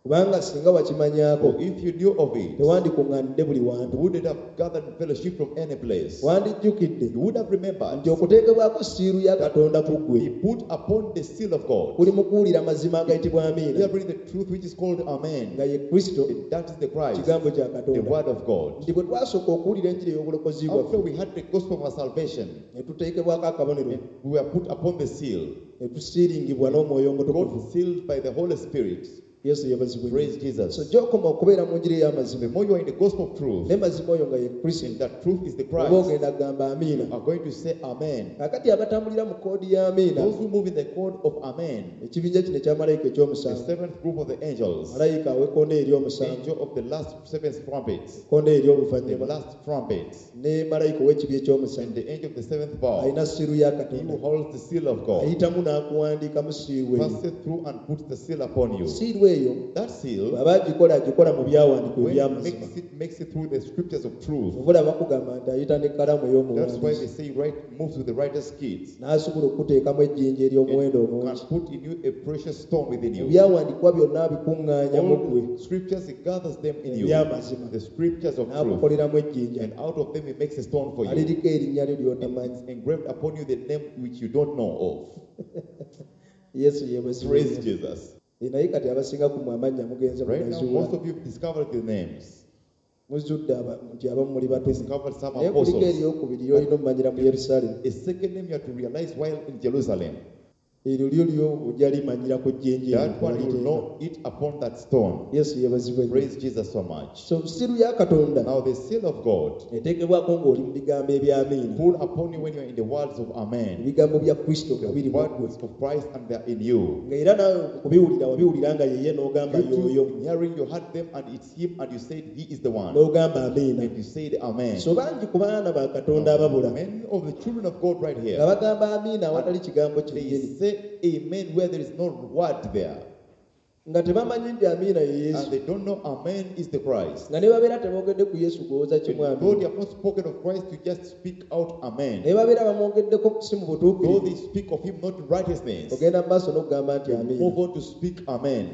kubanga singa wakimanyaako For if you knew of it, you tewandikuŋŋaanidde buli wantu. wouldn't have gathered in fellowship from any place. Wandijjukidde You would have remembered nti okuteekebwako siiru ya Katonda ku ggwe be put upon the seal of God. kuli mu kuwulira mazima agayitibwa amiina, Hearing the truth which is called amen. nga ye Kristo, And that is the Christ, kigambo kya the Katonda. word of God. Nti bwe twasooka okuwulira enjiri ey'obulokozi After bwaffe, we had the gospel of our salvation, ne tuteekebwako akabonero, we were put upon the seal. ne tusiiringibwa n'Omwoyo Omutukuvu. God sealed by the Holy Spirit. Yesu yeebazibwe. Praise So Jesus. gy'okoma okubeera mu njiri ey'amazima, The more you are in the gospel of truth, ne mazima oyo nga ye Kristo, and that truth is the oba Christ, ogenda kugamba amiina. you are going to say amen. Kaakati abatambulira mu koodi ya amiina, Those who move in the code of amen, ekibinja kino ekya malayika the ekyomusanvu, seventh group of the angels, malayika aw'ekkonde ery'omusanvu, angel of the last seventh trumpet, ekkonde the ery'oluvannyuma, last trumpet, ne malayika ow'ekibi ekyomusanvu and the angel of the seventh bowl, alina siiru ya he who Katonda, holds the seal of God, ayitamu n'akuwandiikamu siiru eyo. passes through and puts the seal upon you. Siiru eyo That seal, bw'aba agikola, agikola mu byawandiikibwa when he eby'amazima. makes it through the scriptures of truth. Obula bakugamba nti ayita n'ekkalaamu That's why ey'omuwandiisi they say right moves with the writer's kids. n'asobola okuteekamu ejjinja ery'omuwendo And omungi. can put in you a precious stone within Mu you. byawandiikibwa byonna abikuŋŋaanya mu All ggwe the scriptures, he gathers them in you. eby'amazima, The scriptures of truth. n'akukoleramu ejjinja And out of them he makes a stone for you. aliriko erinnya lyo ly'otamanyi. It's engraved upon you the name which you don't know of. Yesu yeebazibwe. Praise Jesus. Naye kati abasinga ku mmwe amannya mugenze Right now, mugazuula. most of you have discovered the names. Muzudde nti abamu muli batume. Discovered some Naye kuliko apostles. eryokubiri ly'olina omumanyira mu Yerusaalemi. A second name you have to realize while in Jerusalem. Eryo lyo lyo ojja limanyira ku jjinja eryo That one you will waliteeka. know it upon that stone. Yesu yeebazibwe nnyo. Praise Jesus so much. So siiru ya Katonda Now the seal of God eteekebwako ng'oli mu bigambo eby'amiina, put upon you when you are in the words of Amen. ebigambo bya Kristo nga The biri mu ggwe, words of Christ and they are in you. nga era naawe mu kubiwulira wabiwulira nga yeye n'ogamba You too, y'oyo, in hearing, you heard them and it's him and you said he is the one. n'ogamba amiina. And you said Amen. So bangi ku baana ba Katonda ababula Many of the children of God right nga here, bagamba amiina awatali kigambo they kyennyini, say amen where there is no word there. nga tebamanyi nti amiina ye Yesu, And they don't know amen is the Christ. nga ne babeera teboogedde ku Yesu kulowooza kimu Though amiina, they have not spoken of Christ, you just speak out amen. naye babeera bamwogeddeko si mu Though butuukirivu, they speak of him not in righteousness, ogenda mu maaso n'okugamba nti amiina. move on to speak amen.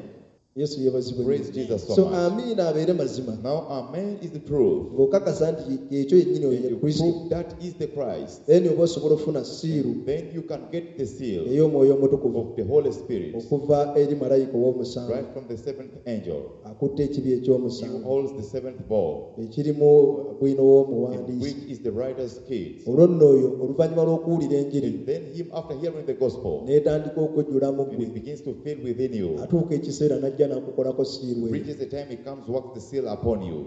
Yesu yeebazibwe nnyo. Praise Jesus so So much. amiina abeere mazima, Now amen is the truth. ng'okakasa nti ekyo yennyini oyo And ye you Kristo, prove that is the Christ. then oba osobola okufuna siiru Then you can get the seal ey'Omwoyo Omutukuvu of the Holy Spirit okuva eri malayika ow'omusanvu right from the seventh angel. akutte ekibi He who ekyomusanvu holds the seventh bowl, ekirimu bwino in w'omuwandiisi. which is the writer's kids. Olwo nno oyo oluvannyuma lw'okuwulira enjiri And then him, after hearing the gospel, n'etandika okujjula mu and ggwe, it begins to fill within you. atuuka ekiseera n'ajja n'akukolako siiru eyo. Reaches the time he comes, works the seal upon you.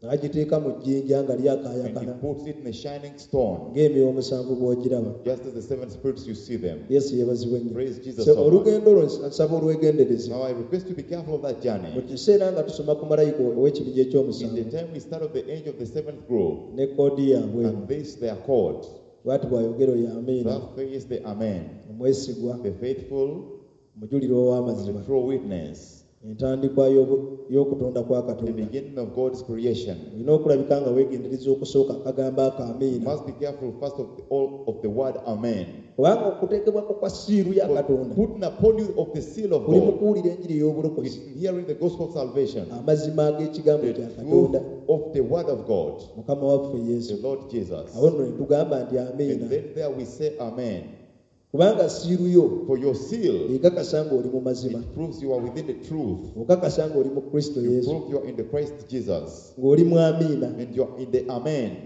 N'agiteeka mu jjinja nga And he lyakaayakana puts it in a shining stone, ng'emyoyo omusanvu bw'ogiraba. Just as the seven spirits you see them. Yesu yeebazibwe nnyo. Praise Jesus So so much. olugendo olwo nsaba olwegendereze. Now I request you be careful of that Mu journey. kiseera nga tusoma ku malayika ow'ekibinja In the ekyomusanvu time we start of the age of the seventh group, ne koodi yaabwe, and this their code, bw'ati bw'ayogera oyo amiina, that face the Amen, omwesigwa, the faithful, omujulirwa and ow'amazima, the true witness, entandikwa y'okutonda kwa the Katonda. beginning of God's creation. Olina okulabika nga weegendereza okusooka akagambo ako You amiina, must be careful first of all of the word Amen. kubanga okuteekebwako kwa siiru ya For Katonda putting upon you of the seal of kuli mu God kuwulira enjiri ey'obulokozi, is in hearing the gospel of salvation, amazima ag'ekigambo the kya truth Katonda, of the word of God, Mukama waffe the Yesu. Lord Jesus. Awo nno ne tugamba nti amiina, And then there we say Amen. kubanga siiru yo For your seal, ekakasa ng'oli mu mazima, it proves you are within the truth. okakasa ng'oli mu Kristo You Yesu, prove you are in the Christ Jesus. ng'oli mu amiina. And you are in the Amen.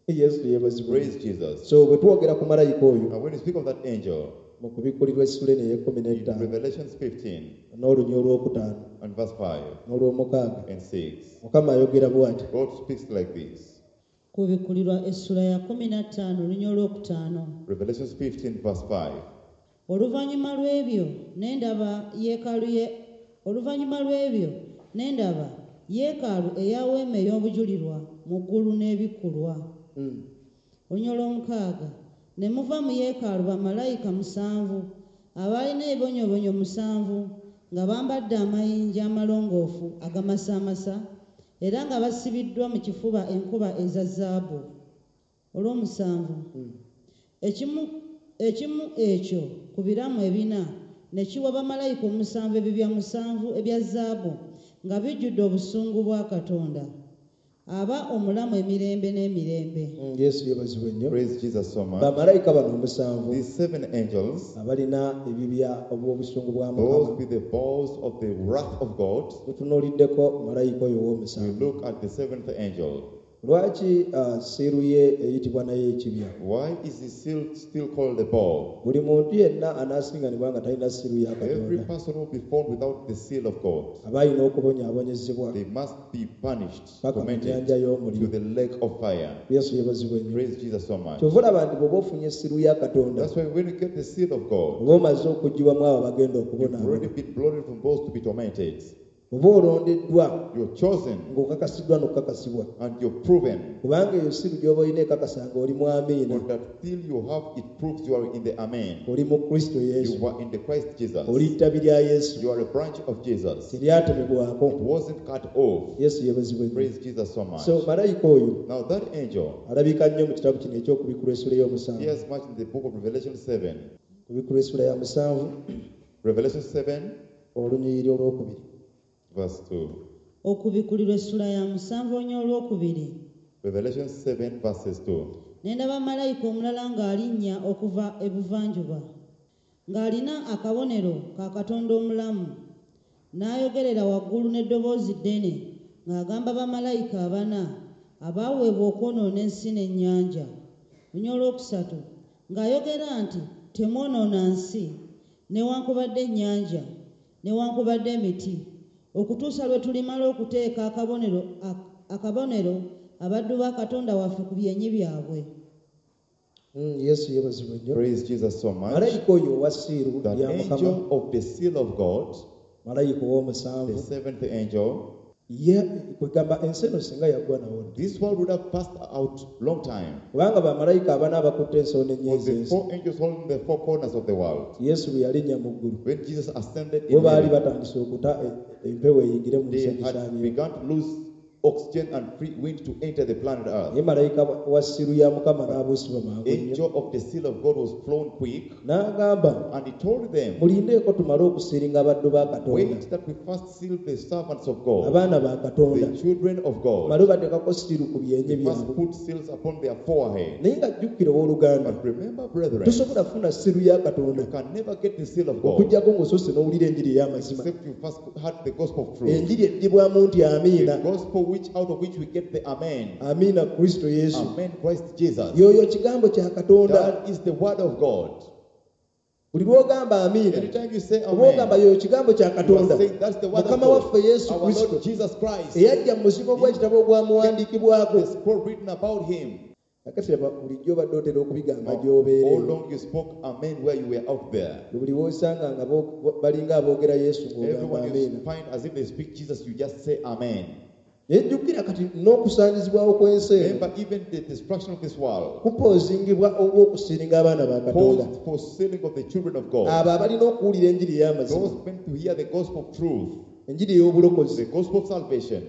Yesu yeebazibwe. Praise Jesus. So bwe twogera ku malayika oyo Now when you speak of that angel, mu kubikkulirwa essula eno ey'ekkumi in n'ettaano Revelations 15 n'olunya olwokutaano and verse 5 n'olwomukaaga, and 6, Mukama ayogera bw'ati. God speaks like this. Kubikkulirwa essula ya 15 olunya olwokutaano. Revelations 15 verse 5. Oluvannyuma lw'ebyo ne ndaba yeekaalu ye oluvannyuma lw'ebyo ne ndaba yeekaalu eya weema ey'obujulirwa mu ggulu n'ebikkulwa. Olunya olwomukaaga ne muva mu yeekaalu bamalayika musanvu abaalina ebibonyoobonyo musanvu nga bambadde amayinja amalongoofu agamasaamasa era nga basibiddwa mu kifuba enkuba eza zaabu. Olw'omusanvu ekimu ekyo ku biramu ebina ne kiwa bamalayika omusanvu ebibya musanvu ebya zaabu nga bijjudde obusungu bwa Katonda aba omulamu emirembe n'emirembe. Yesu yeebazibwe nnyo. Praise Jesus so much. Bamalayika bano omusanvu These seven angels, abalina ebibya obw'obusungu bwa those Mukama, with the bowls of the wrath of God, tutunuuliddeko malayika oyo we ow'omusanvu. look at the seventh angel. Lwaki siiru ye eyitibwa naye ekibya? Why is the seal still called the bowl? Buli muntu yenna anaasinganibwa nga talina siiru ya Every Katonda person will be found without the seal of God. aba alina okubonyaabonyezebwa They must be punished, paka mu tormented nnyanja to y'omuliro. the lake of fire. Yesu yeebazibwe nnyo. Praise Jesus so much. Kyova olaba nti bw'oba ofunye siiru ya Katonda, That's why when you get the seal of God, oba omaze okuggyibwamu abo abagenda you've already okubonaabona, been blooded from those to be tormented. oba olondeddwa You're chosen ng'okakasiddwa n'okukakasibwa, and you're proven. kubanga eyo siiru gy'oba olina ekakasa ng'oli mu amiina, For that seal you have, it proves you are in the Amen. oli mu Kristo Yesu, You are in the Christ Jesus. oli ttabi lya Yesu, You are a branch of Jesus. teryatemebwako. It wasn't cut off. Yesu yeebazibwe nnyo. Praise Jesus so much. So malayika oyo Now that angel alabika nnyo mu kitabo kino eky'okubikkulwa essula ey'omusanvu, appears much in the book of Revelation 7. Kubikkulwa essula ya 7 Revelation 7, olunyiriri olwokubiri. verse 2. Okubikkulirwa essula ya 7 olunya olwokubiri. Revelation 7, verses 2. Ne ndaba malayika omulala ng'alinnya okuva ebuvanjuba ng'alina akabonero ka Katonda omulamu n'ayogerera waggulu n'eddoboozi ddene ng'agamba bamalayika abana abaaweebwa okwonoona ensi n'ennyanja. Lunya olwokusatu ng'ayogera nti temwonoona nsi newankubadde ennyanja newankubadde emiti okutuusa lwe tulimala okuteeka akabonero abaddu ba Katonda waffe ku byenyi byabwe. Yesu yeebazibwe nnyo. Praise Jesus so much. Malayika oyo owa siiru That ya Mukama, angel of the seal of God, malayika the ow'omusanvu, seventh angel, ye kwegamba ensi eno singa yaggwa nawo dda, this world would have passed out long time. kubanga bamalayika abana abakutte ensonda For ennyo the ez'ensi, four angels holding the four corners of the world. Yesu bwe yalinnya mu ggulu, When Jesus ascended bo in baali heaven, batandise okuta empewo eyingire mu nsi they had egisaanyeewo. begun to lose oxygen and free wind to enter the planet Earth. Naye malayika wa siiru ya Mukama n'abuusibwa mangu nnyo Angel of the seal of God was flown quick, n'agamba, and he told them, mulindeeko tumale okusiiringa abaddu ba Katonda, wait that we first seal the servants of God, abaana ba Katonda, the children of God. male bateekako siiru ku byenyi We must byabwe. put seals upon their forehead. Naye nga jjukira owooluganda, But remember, brethren, tosobola kufuna siiru ya Katonda you can never get the seal of God okuggyako ng'osoose n'owulira enjiri ey'amazima, except you first had the gospel of truth. enjiri eddibwamu nti amiina, The gospel which out of which we get the Amen. Amiina Kristo Yesu. Amen, Christ Jesus. Y'oyo kigambo kya Katonda. That is the word of God. Buli lw'ogamba amiina, Anytime you say oba ogamba amen, yoyo kigambo kya you are Katonda, saying that's the word of Mukama God. waffe Yesu Our Kristo Lord Jesus Christ, eyajja mu muzingo gw'ekitabo ogwamuwandiikibwako. the scroll written about him. Kakati laba bulijjo obadde otera okubigamba Now, gy'obeera all eyo. long you spoke amen where you were out there. Buli w'osanga nga balinga aboogera Yesu ng'ogamba Everyone you amiina. find as if they speak Jesus, you just say amen. Naye jjukira kati n'okusaanyizibwawo kw'ensi eno Remember, even the destruction of this world kupoozingibwa olw'okusiringa abaana ba Katonda. caused for sealing of the children of God. Abo abalina okuwulira enjiri ey'amazima, Those meant to hear the gospel of truth, enjiri ey'obulokozi, the gospel of salvation,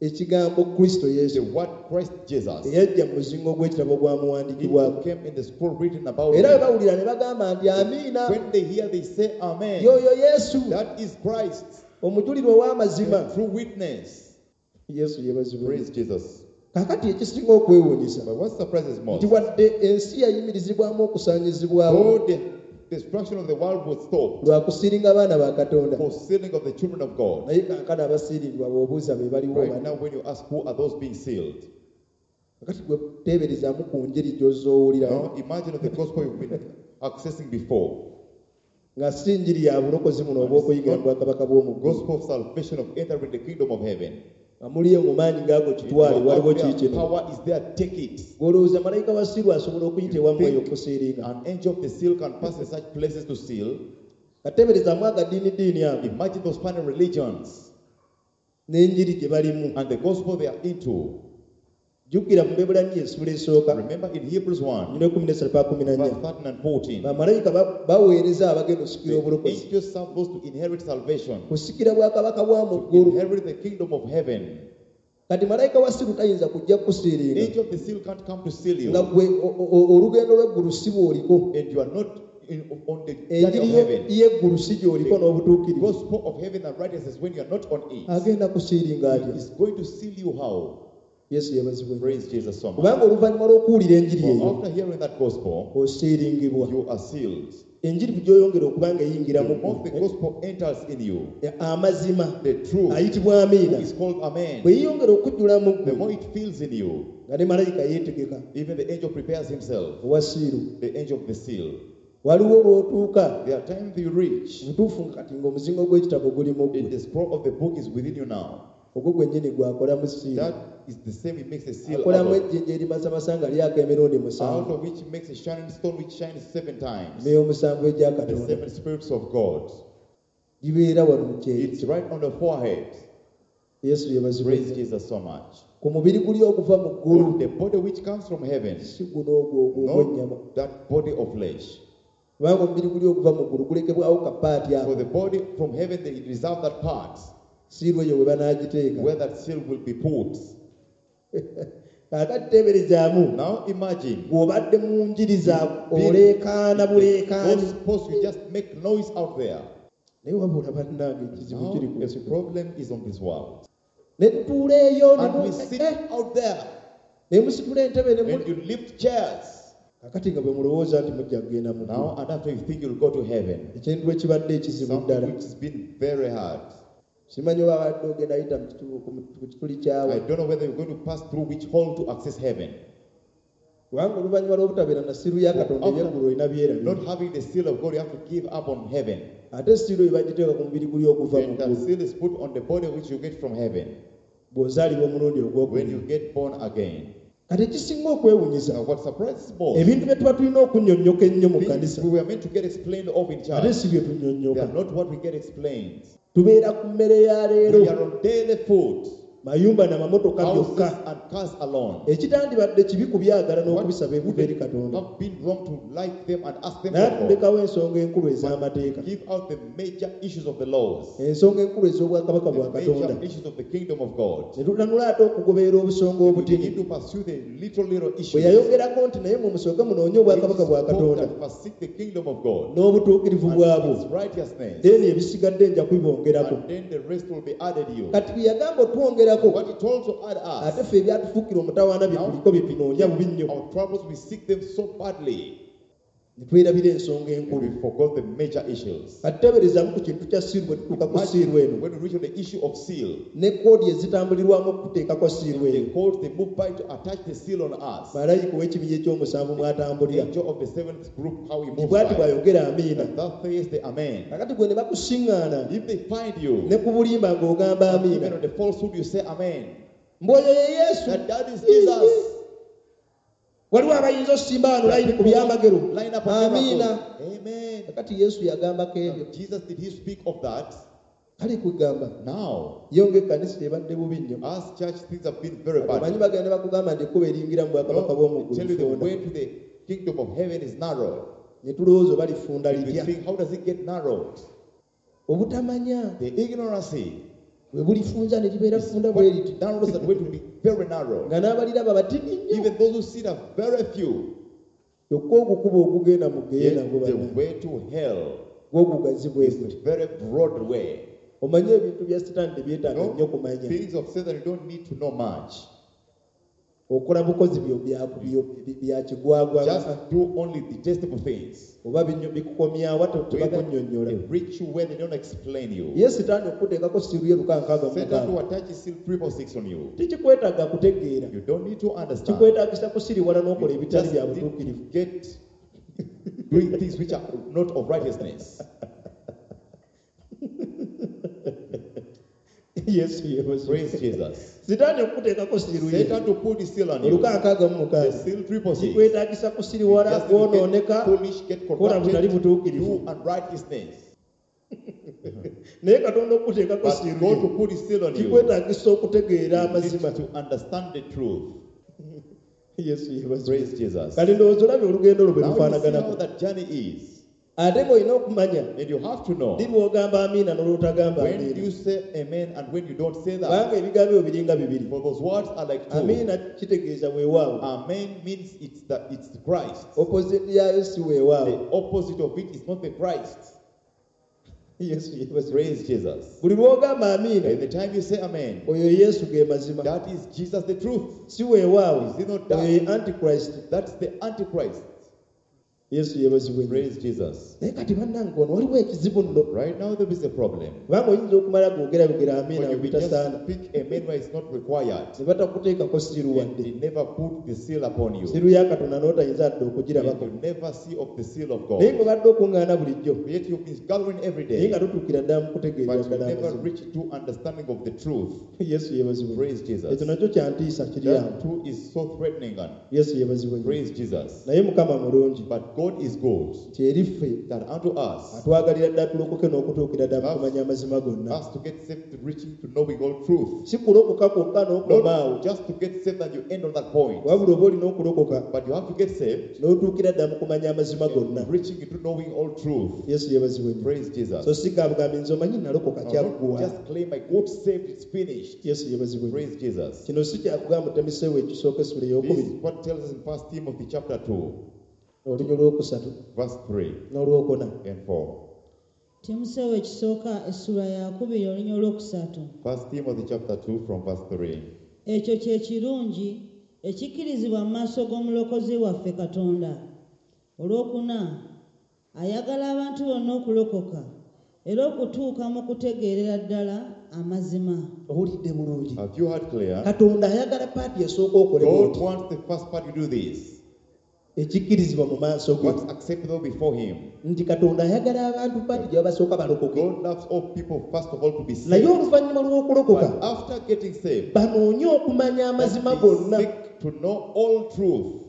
ekigambo Kristo the Yesu word Christ Jesus, eyajja mu muzingo gw'ekitabo he ogwamuwandiikibwako. came in the scroll written about Era bwe him. bawulira ne bagamba nti amiina, When they hear, they say amen. y'oyo Yesu That is Christ, omujulirwa ow'amazima. the true witness. Yesu yeebazibwe. Praise Jesus. Kaakati ekisinga okwewuunyisa But what surprises most, nti wadde ensi yayimirizibwamu okusaanyizibwawo though the destruction of the world was stopped lwa kusiiringa abaana ba Katonda, for sealing of the children of God. naye kaakano abasiiringibwa bw'obuuza be baliwo Right bani. now, when you ask who are those being sealed, Kakati gwe teeberezaamu ku njiri gy'oz'owulira now imagine of the gospel you've been accessing before, nga si njiri ya bulokozi buno obw'okuyingira mu bwakabaka bw'omu ggulu. gospel of salvation of entering the kingdom of heaven. Nga muliyo mu maanyi ng'ago If kitwale, you are waliwo out there, kiikino. power is there, take it. Gw'olowooza malayika wa siiru asobola okuyita ewammwe eyo Think okusiiringa? An angel of the seal can pass in such places to seal. Kateeberezaamu agadiinidiini ago Imagine those funny religions n'enjiri gye balimu. and the gospel they are into. Jjukira mu Bebbulaniya essula esooka Remember in Hebrews 1, nnya 13 paka 14, verse 13 and 14, bamalayika baweereza abagenda okusikira the obulokozi, angels serve those to inherit salvation, kusikira bwakabaka bwa mu to ggulu. inherit the kingdom of heaven. Kati malayika wa siiru tayinza kujja kukusiiringa Angel of the seal can't come to seal nga you, gwe olugendo lw'eggulu si bw'oliko, and you are not on the journey enjiri of heaven. y'eggulu si gy'oliko n'obutuukirivu. Gospel of heaven and righteousness when you are not on it. Agenda kusiiringa atya? He is going to seal you how? Yesu yeebazibwe. Praise Jesus so much. Kubanga oluvannyuma lw'okuwulira enjiri For eyo after hearing that gospel, osiiringibwa. you are sealed. Enjiri gy'oyongera okuba nga eyingira The mu more the ggwe, gospel enters in you, amazima the truth ayitibwa amiina who is called amen, bwe yeeyongera okujjula mu the ggwe more it fills in you, nga ne malayika yeetegeka even the angel prepares himself, owa siiru. the angel of the seal. Waliwo lw'otuuka There are times you reach, butuufu kati ng'omuzingo gw'ekitabo guli mu and ggwe, the scroll of the book is within you now. ogwo gwennyini gwakolamu siiru, That is the same, it makes a seal out akolamu of, ejjinja erimasamasa nga lyaka emirundi out 7, of which he makes a shining stone which shines 7 times. n'ey'omusanvu egya The Katonda 7 spirits of God. gibeera wano mu kyeyo. It's right on the forehead. Yesu yeebazibwe. Praise Jesus so much. Ku mubiri guli oguva mu ggulu, On the body which comes from heaven, si guno ogwo ogw'ennyama, not that body of flesh. kubanga omubiri guli oguva mu ggulu gulekebwawo kapaati ako, For the body from heaven, they reserve that part siiru eyo we banaagiteeka. where that seal will be put. Kaakati teeberezaamu Now imagine bw'obadde mu njiri za oleekaana buleekaani, Gospels, you just make noise out there. naye wabula bannange ekizibu Now kiri ku the nsi kuno. problem is on this world. Ne tutuula eyo ne And we sit out there ne musitula entebe ne and muli you lift chairs. Kaakati nga bwe mulowooza nti mujja kugenda mu ggulu, Now and after you think you'll go to heaven. ekintu ekibadde ekizibu Something ddala. which has been very hard. Simanyi oba abadde ogenda yita ku kituli kyawe, I don't know whether you're going to pass through which hall to access heaven. kubanga oluvannyuma lw'obutabeera na siiru ya Katonda ebyeggulu olina byerabira. Not having the seal of God, you have to give up on heaven. Ate siiru eyo bagiteeka ku mubiri guli oguva mu And that ggulu seal is put on the body which you get from heaven bw'ozaalibwa omulundi when ogwokubiri. you get born again. Kati ekisinga okwewuunyisa, Now, what surprises most, ebintu bye tuba tulina okunnyonnyoka ennyo mu things kkanisa we were meant to get explained of in ate church, si bye they tunnyonnyoka. are not what we get explained. Tubeera ku mmere ya leero, We are on daily food, mayumba n'amamotoka houses byokka. and cars alone. Ekitandibadde kibi kubyagala What n'okubisaba ekuva eri wouldn't Katonda, have been wrong to like them and ask them naye for God. tulekawo ensonga enkulu ez'amateeka, Give out the major issues of the laws, ensonga enkulu ez'obwakabaka bwa the major Katonda, issues of the kingdom of God. ne tutanula ate okugoberera obusonga We obutini. begin to pursue the little, little Bwe issues. yayogerako nti naye mwe musooke munoonye obwakabaka bwa Which spoke Katonda that first seek the kingdom of God n'obutuukirivu and bwabwo, its righteousness, then ebisigadde nja kubibongerako. and then the rest will be added you. Kati bwe yagamba otwongerako, What he told to add ate us, ffe ebyatufuukira omutawaana bye tuliko bye tunoonya bubi nnyo. our troubles, we seek them so badly. Ne twerabira ensonga And enkulu. we forgot the major issues. Kati teeberezaamu ku kintu kya seal bwe tutuuka ku seal eno When we reach on the issue of seal, ne koodi ezitambulirwamu okuteekako seal the eyo codes they move by to attach the seal on us. Malayika ow'ekibinja ekyomusanvu mw'atambulira Angel of the seventh group, how he moves bw'ati by. bw'ayogera amiina. And that says the amen. Kakati gwe ne bakusiŋŋaana If they find you, ne ku bulimba ng'ogamba even amiina on the falsehood, you say amen. mbw'oyo ye Yesu. That is Jesus. Waliwo abayinza osimba wano layini ku byamagero Line up on amiina. miracles. Amen. Kakati Yesu yagambako ebyo. Now, Jesus, did he speak of that? Kale kugamba Now, yo ng'ekkanisa ebadde bubi nnyo. as church, things have been very bad. Omanyi bagenda ne bakugamba nti ekkubo eringira mu bwakabaka No, bw'omu they tell ggulu you the funda. way to the kingdom of heaven is narrow. Ne tulowooza oba lifunda And we litya. think, how does it get narrowed? Obutamanya The ignorance bwe bulifunza ne libeera is funda bwe liti what narrows that way to be very narrow. nga n'abaliraba batini nnyo. Even those who see it are very few. Kyokka ogukuba ogugenda mu geyeena Yet gwo the banna way to hell gwogugazi bwe is guti. a very broad way. Omanye ebintu bya sitaani tebyetaaga No, nnyo kumanya. things of Satan, you don't need to know much. Okola bukozi byo bya kigwagwa Just do only detestable things. oba bikukomyawa Whether tebakunnyonnyola. they reach you where they don't explain you. Ye sitaani okuteekako siiru ye lukankaaga mu Satan mukaaga to attach his seal 666 on you. tekikwetaaga kutegeera. You don't need to understand. Kikwetaagisa kusiriwala n'okola You ebitali just bya need to butuukirivu. get doing things which are not of righteousness. Yesu yeebazibwe. Praise Jesus. Sitaani okuteekako siiru ye Satan to put his seal on you. olukankaaga mu The mukaaga seal 666. kikwetaagisa kusiriwala Just need to get kwonooneka foolish, get kola butali corrupted, butuukirivu. do unrighteousness. Naye Katonda okuteekako But siiru God to ye put his seal on you, kikwetaagisa okutegeera you need amazima. to understand the truth. Yesu yeebazibwe. Praise Jesus. Kati ndowooza olabye olugendo olwo bwe Now you see how lufaanaganako. that journey is. Ate ng'olina okumanya And you have to know ddi lw'ogamba amiina n'olwotagamba when amiina. you say amen and when you don't say that. Kubanga ebigambo ebyo biringa bibiri. For those words are like two. Amiina kitegeeza weewaawo. Amen means it's Christ. Opposite yaayo si weewaawo. The opposite of it is not the Christ. Yesu yeebazibwe. Praise Jesus. Buli lw'ogamba amiina And the time you say amen, oyo Yesu ge mazima. that is Jesus the truth. Si weewaawo Is it not that? oyo ye antichrist. That's the Antichrist. Yesu yeebazibwe. Praise Jesus. Naye kati bannange ono waliwo ekizibu nno. Right now there is a problem. Kubanga oyinza okumala googera bigera amiina When you just bitasaana speak amen where it's not required, ne batakuteekako siiru and wadde. they never put the seal upon you. Siiru ya Katonda n'otayinza dda And okugirabako. you never see of the seal of Naye God. ng'obadde okuŋŋaana bulijjo Yet you've been gathering every naye day, nga totuukira ddala mu kutegeerera but you ddala never amazima. reach to understanding of the truth. Yesu yeebazibwe. Praise Jesus. Ekyo nakyo kyantiisa kiri awo. That too is so threatening. And Yesu yeebazibwe nnyo. praise Jesus. Naye Mukama mulungi But God is good, nti eri ffe that unto us, atwagalira ddala tulokoke n'okutuukira ddala mu kumanya amazima gonna. us to get saved to reaching to knowing all truth. Si kulokoka kwokka n'okoma awo Not just to get saved and you end on that point, wabula oba olina okulokoka but you have to get saved, n'otuukira ddala mu kumanya amazima gonna. reaching into knowing all truth. Yesu yeebazibwe nnyo. Praise Jesus. So si gabugambi nze omanyi nalokoka Now, not kyaggwa. just claim I got saved, it's finished. Yesu yeebazibwe nnyo. Praise Jesus. Kino si kyakugamba Timoseewo ekisooka essula This ey'okubiri is what tells us in 1 Timothy chapter 2, olunya olwokusatu verse 3 n'olwokuna. and 4. Timoseewo ekisooka essula yakubiri olunya olwokusatu. 1 Timothy chapter 2 from verse 3. Ekyo kye kirungi ekikkirizibwa mu maaso g'omulokozi waffe Katonda. Olwokuna ayagala abantu bonna okulokoka era okutuuka mu kutegeerera ddala amazima. Owulidde bulungi. Have you heard clear? Katonda ayagala paati esooka okole God bw'oti wants the first part to do this. Ekikkirizibwa mu maaso ge What's acceptable before Him. nti Katonda ayagala abantu paati gye babasooka balokoke. God loves all people first of all to be Naye saved. oluvannyuma lw'okulokoka But after getting saved, banoonye okumanya amazima that they gonna. seek to know all truth.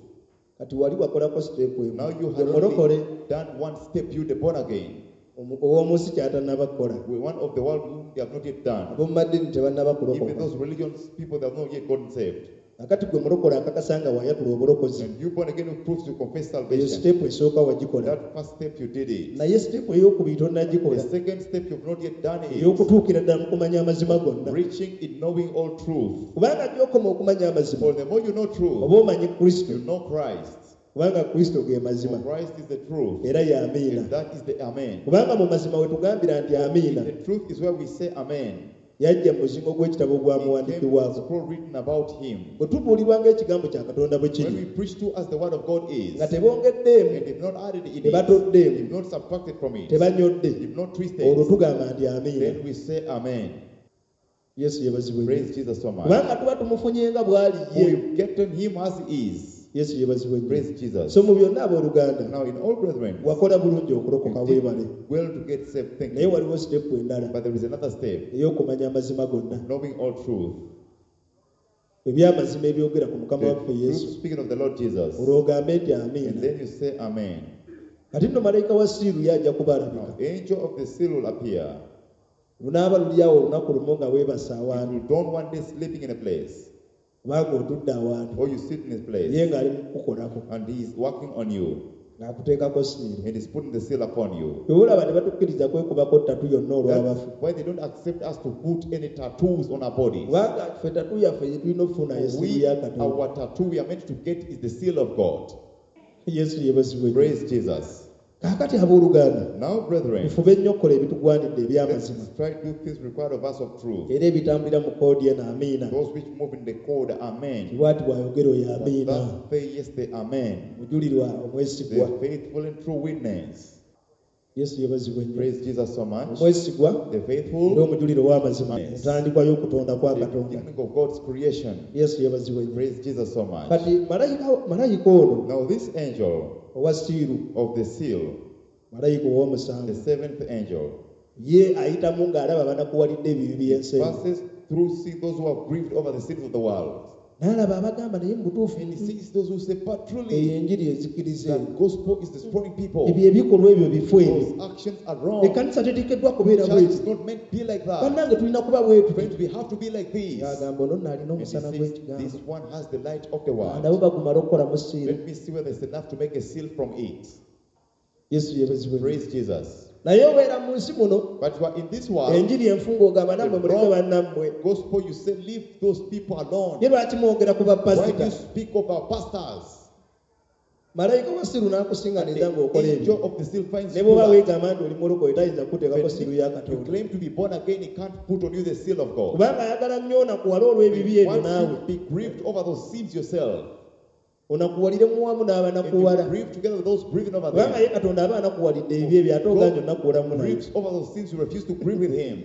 Kati wali wakolako siteepu emu Now you have mulokole only done one step, you the born again. Ow'omu nsi ky'atannaba kukola. We one of the world whom they have not yet done. Ab'omu maddiini tebannaba Even kulokoka. those religions people they have not yet gotten saved. Akati gwe mulokole akakasa nga wayatula obulokozi And you born again who proves you confess eyo salvation. siteepu esooka wagikola. That first step you did it. Naye siteepu ey'okubiri The tonnagikola second step you've not yet done it. ey'okutuukira ddala mu kumanya amazima gonna. Reaching in knowing all truth. Kubanga gy'okoma okumanya amazima For the more you know truth, oba omanyi Kristo you know Christ. kubanga Kristo ge For mazima Christ is the truth. era ye amiina. And that is the amen. Kubanga mu mazima we tugambira nti amiina The truth is where we say amen. Yajja mu muzingo gw'ekitabo He came with the ogwamuwandiikibwako. scroll written about him. Bwe tubuulirwa ng'ekigambo kya Katonda bwe When kiri, we preach to us the word of God is, nga and tebongeddeemu, they've not added in it, tebatoddeemu, they've not subtracted from it, tebanyodde, they've not twisted, olwo tugamba nti amiina. then we say Amen. Yesu yeebazibwe nnyo. Praise Jesus so much. Kubanga tuba tumufunye nga bw'ali ye. We've gotten him as he is. Yesu yeebazibwe nnyo. Praise Jesus. So mu byonna abooluganda, Now, in all brethren, wakola bulungi okulokoka you did weebale. well to get saved. Thank Naye you. waliwo sitepu endala But there is another step, ey'okumanya amazima gonna. knowing all truth. Ebyamazima ebyogera ku Mukama The waffe Yesu. truth speaking of the Lord Jesus. Olwo ogambe nti And amiina. then you say Amen. Kati nno malayika wa siiru ye ajja kuba alabika. Now, angel of the seal will appear. Lunaaba luli awo olunaku lumu nga weebase It awantu will dawn one day sleeping in a place, kubanga otudde awantu or you sit in a ye place, ng'ali mu kukukolako and he is working on you, ng'akuteekako siiru. and is putting the seal upon you. Bwe olaba tebatukkiriza kwekubako ttatu yonna olw'abafu. That's why they don't accept us to put any tattoos on our bodies. Kubanga ffe tatu yaffe gye tulina okufuna ye siiru We, ya Katonda. our tattoo we are meant to get is the seal of God. Yesu yeebazibwe nnyo. Praise Jesus. Kaakati abooluganda, Now, brethren, mufube nnyo okukola ebitugwanidde eby'amazima let's try to do things required of us of truth. era ebitambulira mu koodi eno amiina. Those which move in the code, Amen. Bw'ati bw'ayogera oyo amiina. That say yes, the Amen. Mujulirwa omwesigwa. The faithful and true witness. Yesu yeebazibwe nnyo. Praise Jesus so much. Omwesigwa The era faithful, omujulirwa ow'amazima, Yes. entandikwa y'okutonda kwa the Katonda. beginning of God's creation. Yesu yeebazibwe nnyo. Praise Jesus so much. Kati malayika ono Now, this angel owa siiru, of the seal, malayika the ow'omusanvu, seventh angel, ye ayitamu ng'alaba banakuwalidde ebibi by'ensi eno. passes through see those who have grieved over the sins of the world. N'alaba abagamba naye mu butuufu And he sees those who say, but eyo truly, enjiri ezikiriza the gospel is destroying people. ebyo ebikolwa ebyo bifu ebyo. Those actions are wrong. Ekkanisa teteekeddwa kubeera Church bweti. is not meant to be like that. Bannange tulina kuba bwetu. Friends, we have to be like this. Ng'agamba ono nno alina And he omusana says, gw'ekigambo. this one has the light of the world. Nabo bagumala okukolamu siiru. Let me see whether it's enough to make a seal from it. Yesu yeebazibwe nnyo. Praise Jesus. Naye obeera mu nsi muno But you are in this world, enjiri enfu ng'ogamba nammwe muleke bannammwe. gospel, you say, leave those people alone. Ye lwaki mwogera ku Why do bapasita? you speak of our pastors? Malayika wa siiru n'akusinganiza The ng'okola ebyo. angel of the seal finds Ne you. bw'oba that. weegamba nti oli mulokole tayinza kukuteekako siiru ya You Katonda. claim to be born again, he can't put on you the seal of God. Kubanga ayagala nnyo onakuwale olw'ebibi He ebyo wants naawe. you to be grieved over those sins yourself. Onakuwalire muwamu And you n'abanakuwala. grieve together with those grieving over Kubanga ye them. Katonda aba anakuwalidde ebibi ebyo ate oganje onakuwalamu naye. Grieves over those sins, you refuse to grieve with him.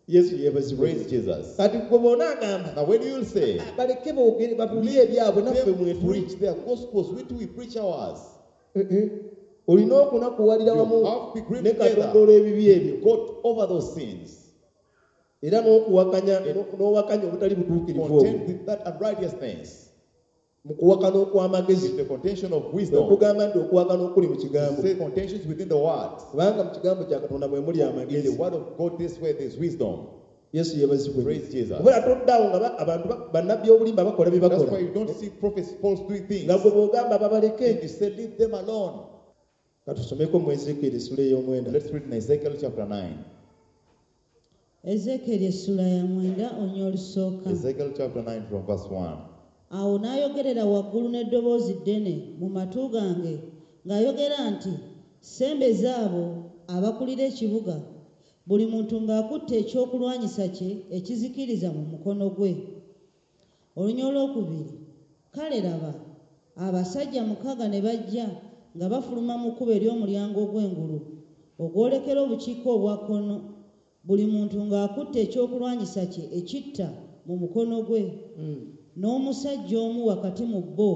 Yesu yeebazibwe. Praise Jesus. Kati gwe bw'onaagamba Now, when you will say, baleke boogere babuulire ebyabwe naffe them mwetuli. preach their gospels, we too we preach ours. Eh, eh. Olina okunakuwalira You wamu have to be grieved ne Katonda together. olw'ebibi ebyo. Got over those sins. Era n'okuwakanya n'owakanya obutali butuukirivu obwo. Contend with that unrighteousness. Mu kuwakana okw'amagezi. In the contention of Kwe wisdom. kugamba nti okuwakana okuli mu kigambo. Say contentions within the word. Kubanga mu kigambo kya Katonda mwe muli In the amagezi. word of God, this way there's wisdom. Yesu yeebazibwe. Praise Jesus. Kubera toddaawo nga abantu bannabbi obulimba bakola bye That's bakola. why you don't see prophets false doing things. Nga gwe bw'ogamba babaleke. And you say, leave them alone. Ka tusomeko mu Ezeekyeri essula ey'omwenda. Let's read in Ezekiel chapter 9. Ezeekyeri essula ya 9 onya olusooka. Ezekiel chapter 9 from verse 1. Awo n'ayogerera waggulu n'eddoboozi ddene mu matu gange ng'ayogera nti sembeza abo abakulira ekibuga buli muntu ng'akutte ekyokulwanyisa kye ekizikiriza mu mukono gwe. Olunya olwokubiri kale laba abasajja 6 ne bajja nga bafuluma mu kkubo ery'omulyango ogw'engulu ogwolekera obukiika obwa kkono buli muntu ng'akutte ekyokulwanyisa kye ekitta mu mukono gwe. N'omusajja omu wakati mu bo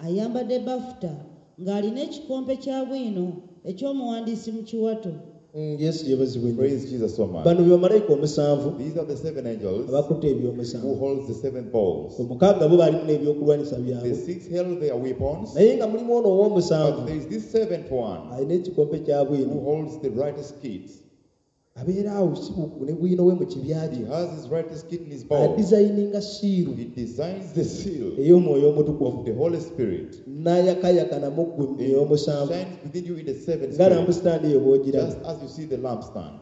ayambadde bafuta ng'alina ekikompe kya bwino eky'omuwandiisi mu kiwato. Yesu yeebazibwe nnyo. Praise Jesus so much. Bano be bamalayika omusanvu These are the seven angels abakutte who ebyomusanvu. holds the seven bowls. Omukaaga bo baalimu n'ebyokulwanyisa The byabwe. six held their weapons, Naye nga mulimu ono but ow'omusanvu there is this seventh one alina ekikompe kya who bwino. holds the righteous kit. Abeera awo si ne bwino we mu kibya He kye. has his righteous kit in his bowl. Adizayininga siiru He designs the seal ey'omwoyo omutukuvu. of the Holy Spirit. N'ayakayakana mu ggwe mu It ey'omusanvu. shines within you in the seventh Nga spirit, lampusitandi eyo bw'ogiraba. just as you see the lampstand.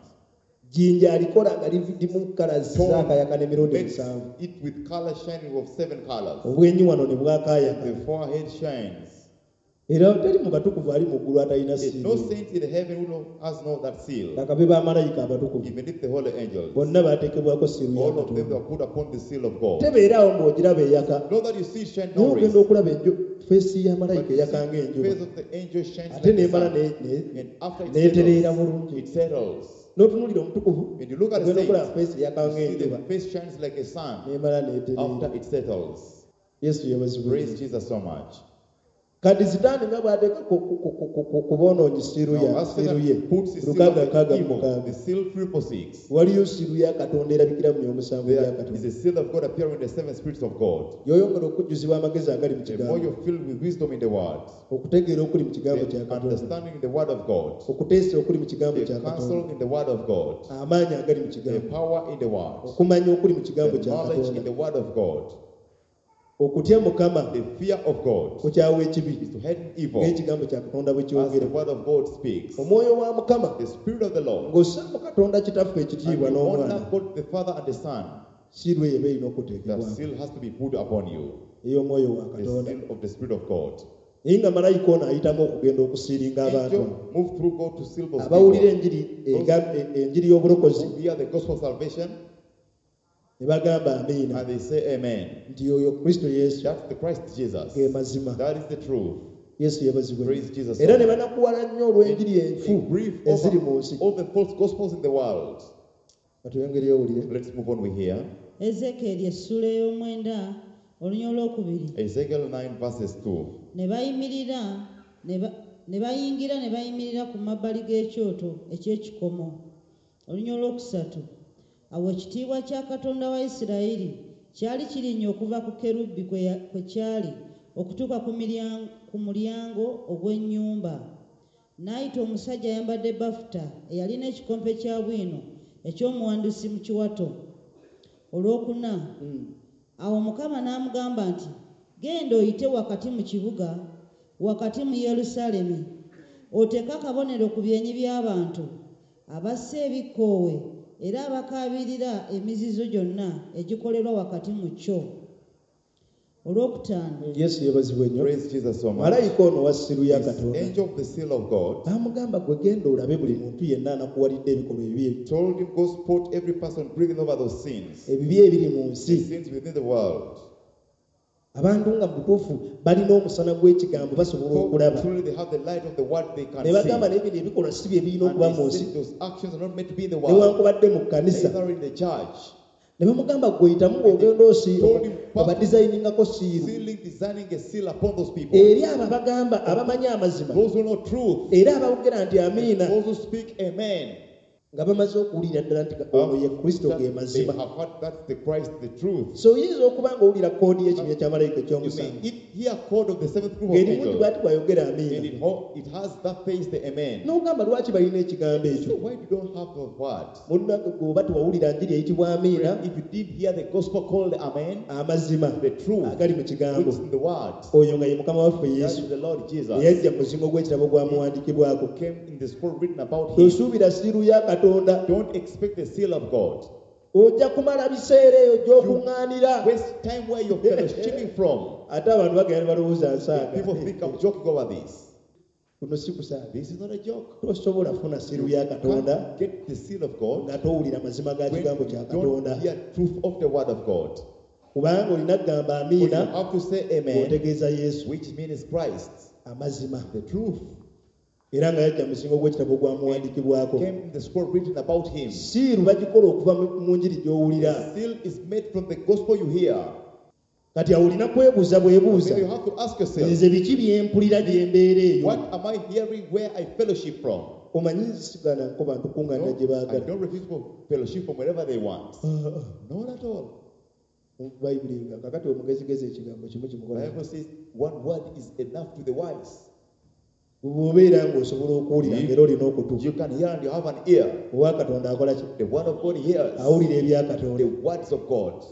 Jjinja alikola nga limu kala zaakayakana emirundi Makes musanvu. it with color shining of seven colors. Obwenyi wano ne bwakaayakana. The forehead shines. Era teri mu batukuvu ali mu ggulu atalina There's no siiru. saint in the heaven who has not that seal. Lakabe bamalayika abatukuvu Even if the holy angels, bonna baateekebwako siiru ya all of them Katonda. are put upon the seal of God. Tebeeraawo ng'ogiraba eyaka. Not that you see it shine Naye no ogenda rays, okulaba enju feesi ya but malayika you see eyaka the ng'enjuba. face of the angel shines Ate like the n'emala sun. And after it n'etereera settles, bulungi. it settles. N'otunuulira omutukuvu When you look at the ogenda okulaba saint, feesi eyaka you see ng'enjuba the face shines like a sun n'emala n'etereera. after it settles. Yesu yeebazibwe. Praise Jesus so much. Kati sitaani nga bw'ateeka ku boonoonyi siiru Now, ya as siiru ye Satan puts his seal lukaaga on nkaaga the mu evil, mukaaga the seal 346, waliyo siiru ya Katonda erabikira mu omusanvu gya there is Katonda a seal of God appearing in the seven spirits of God. Y'oyongera okujjuzibwa amagezi agali mu The more kigambo you're filled with wisdom in the word, okutegeera okuli mu kigambo the kya Katonda understanding in the word of God, okuteesa okuli mu kigambo the kya Katonda counsel in the word of God, amaanyi agali mu the kigambo power in the word, okumanya okuli mu kigambo the kya knowledge in Katonda the word of God, okutya Mukama the fear of God kukyawa ekibi is to hate evil, ng'ekigambo kya Katonda bwe as the kyogera word of God speaks. Omwoyo wa Mukama The spirit of the Lord, ng'ossaamu Katonda Kitaffe and ekitiibwa you n'Omwana honor God the Father and the Son, siiru eyo eba erina the okuteekebwako seal has to be put upon you, ey'omwoyo wa the Katonda seal of the Spirit of God. Naye nga malayika ono ayitamu okugenda okusiiringa abantu Angel move through God to seal those abawulira people enjiri enjiri y'obulokozi who hear the gospel of salvation ne bagamba amiina and they say amen. nti oyo Kristo Yesu That's the Christ Jesus. ge mazima. That is the truth. Yesu yeebazibwe. Praise Jesus. Era ne banakuwala nnyo olw'enjiri enfu They grieve eziri mu over nsi. all the false gospels in the world. Katuyongere owulire. Let's move on. We hear Ezekyeri essula ey'omwenda olunya olwokubiri. Ezekiel 9 verses 2. Ne bayimirira ne ba- ne bayingira ne bayimirira ku mabbali g'ekyoto eky'ekikomo. Olunya olwokusatu. Awo ekitiibwa kya Katonda wa Isirayiri kyali kirinnya okuva ku kerubi kwe kyali okutuuka ku mulyango ogw'ennyumba. N'ayita omusajja ayambadde bafuta eyalina ekikompe kya bwino eky'omuwandusi mu kiwato. Olwokuna awo Mukama n'amugamba nti genda oyite wakati mu kibuga wakati mu Yerusaalemi oteeke akabonero ku byenyi by'abantu abassa ebikkoowe era abakaabirira emizizo gyonna egikolerwa wakati mu kyo. Olwokutaano Yesu yeebazibwe nnyo. Praise Jesus so much. Malayika ono wa siiru ya This Katonda angel of the seal of God n'amugamba gwe genda olabe buli muntu yenna anakuwalidde ebikolwa ebibi told him, go spot every person grieving over those sins, ebibi ebiri mu the nsi. sins within the world. Abantu nga mu butuufu balina omusana gw'ekigambo basobola So okulaba truly they have the light of the word they can ne bagamba see. naye bino ebikolwa si bye birina And okuba mu they nsi say those actions are not meant to be in the world, newankubadde mu kkanisa. neither in the church. Ne bamugamba gwe yitamu ng'ogenda obadizayiningako siiru Sealing, designing a seal upon those people. eri abo abagamba abamanyi amazima Those who know truth, era abawogera nti amiina those who speak amen. nga bamaze okuwulira ddala nti ono ye Kristo That ge they mazima. have heard that's the Christ, the truth. So oyinza okuba ng'owulira koodi y'ekibinja kya malayika You may ekyomusanvu hear code of the seventh group of ng'erimu nti angels, bw'ati bw'ayogera and amiina it has that face, the amen. n'ogamba lwaki balina ekigambo ekyo. So why you don't have the word? Munnange gwe oba tewawulira njiri eyitibwa amiina If you did hear the gospel called amen, amazima the truth agali mu kigambo which is in the word, oyo nga ye Mukama waffe that Yesu is the Lord Jesus, eyajja mu muzingo gw'ekitabo gwamuwandiikibwako. came in the scroll written about him. Tosuubira siiru ya Katonda. Don't expect the seal of God. Ojja kumala biseera eyo gy'okuŋŋaanira. Waste time where you're fellowshipping from. Ate abantu bagenda ne balowooza nsaaga. People think I'm joking over this. Kuno si kusaaga. This is not a joke. Tosobola kufuna siiru ya Katonda Can't get the seal of God nga towulira mazima ga when kigambo you kya don't Katonda. hear truth of the word of God. Kubanga olina kugamba But you amiina have to say amen, ng'otegeeza Yesu which means Christ, amazima. the truth. Era nga yajja mu muzingo gw'ekitabo gwamuwandiikibwako. Came in the scroll written about him. Siiru bagikola okuva mu njiri gy'owulira. The seal is made from the gospel you hear. Kati awo olina kwebuuza bwebuuza So you have to ask yourself, nze biki bye mpulira gye mbeera eyo. what am I hearing where I fellowship from? Omanyi nsigaana nko bantu kuŋŋaana gye No, I baagala. don't refuse for fellowship from wherever they want. Not at all. Bayibuli nga kakati omugezigezi ekigambo kimu The kimukola. Bible says one word is enough to the wise. Bw'obeera ng'osobola okuwulira ng'era olina okutu. You can hear and you have an ear. Owa Katonda akola ki? The word of God hears Awulira ebya Katonda. the words of God.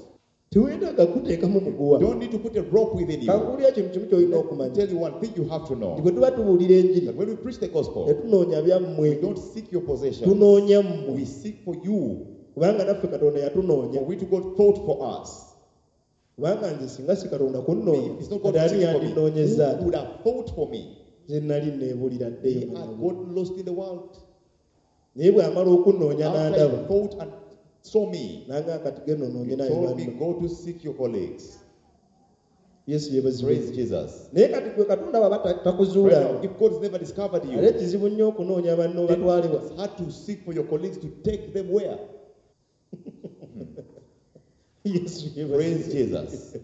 Teweetaaga kuteekamu muguwa. Don't need to put a rope within you. Kankuwulira kintu kimu ky'olina Let me okumanya. tell you one thing you have to Nti know. bwe tuba tubuulira enjiri That when we preach the gospel, tetunoonya byammwe, we don't seek your possession. tunoonya mmwe. We seek for you. Kubanga naffe Katonda yatunoonya. For we to God thought for us. Kubanga nze singa si Katonda kunnoonya, If it's not God kati ani seeking for me, yandinoonyezza who ati? would have thought for me? Nze nali neebulira He ddeyo had mu gotten lost in the world. Naye bw'amala okunnoonya After n'andaba he fought and saw me, nanga kati genda onoonye he naye told me, banno. go to seek your colleagues. Yesu yeebazibwe. Praise Jesus. Naye kati gwe Katonda bw'aba Right now, takuzuula if God's never discovered you, ate kizibu nnyo okunoonya banno then batwalewa. it's hard to seek for your colleagues to take them where? Yesu Praise yeebazibwe. Jesus.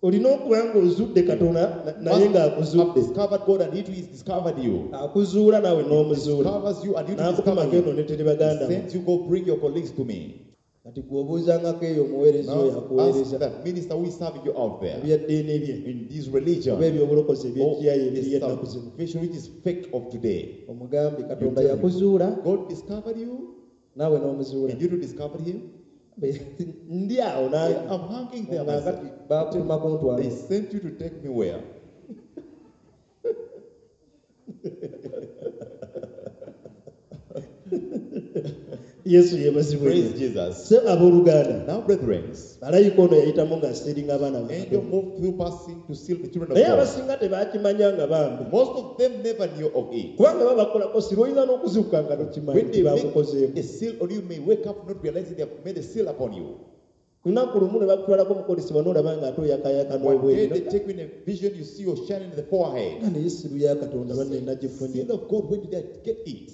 Olina okuba ng'ozudde Katonda naye Must have ng'akuzudde. discovered God and He too has discovered you. Akuzuula naawe n'omuzuula. Discovers you and you too N'akutuma discover genda him. oneetere He baganda bo. sends you, go bring your colleagues to me. Kati gwe obuuzangako eyo omuweereza oyo Now ask akuweereza that minister who is serving you out there ebyaddiini bye in this oba religion ebyobulokozi or eby'ekiyayi the ebiriyo ennaku zino. salvation which is fake of today. Omugambe You Katonda tell him, yakuzuula God discovered you naawe n'omuzuula. and you too discovered him. Ndi awo nange. Yeah, I'm hanging there Nga myself. kati baakutuma kuntwala. They sent you to take me where? Yesu yeebazibwe. Praise Jesus. Se abooluganda Now, brethren, malayika ono yayitamu ng'asiiringa abaana ba angel Katonda. moved through passing to seal the children of Naye God. abasinga tebakimanya nga bambi. Most of them never knew of it. Kubanga babakolako siru oyinza n'okuzuukuka nga tokimanyi When nti they make bakukozeeko. a seal on you, may wake up not realizing they have made a seal upon you. Lunaku lumu ne bakutwalako mukolesebwa n'olaba ng'ate oyakayaka One day n'obweru. they take you in a vision, you see you're shining in the forehead. Nga naye siru ya Katonda banne nagifunye. Seal of God, when did I get it?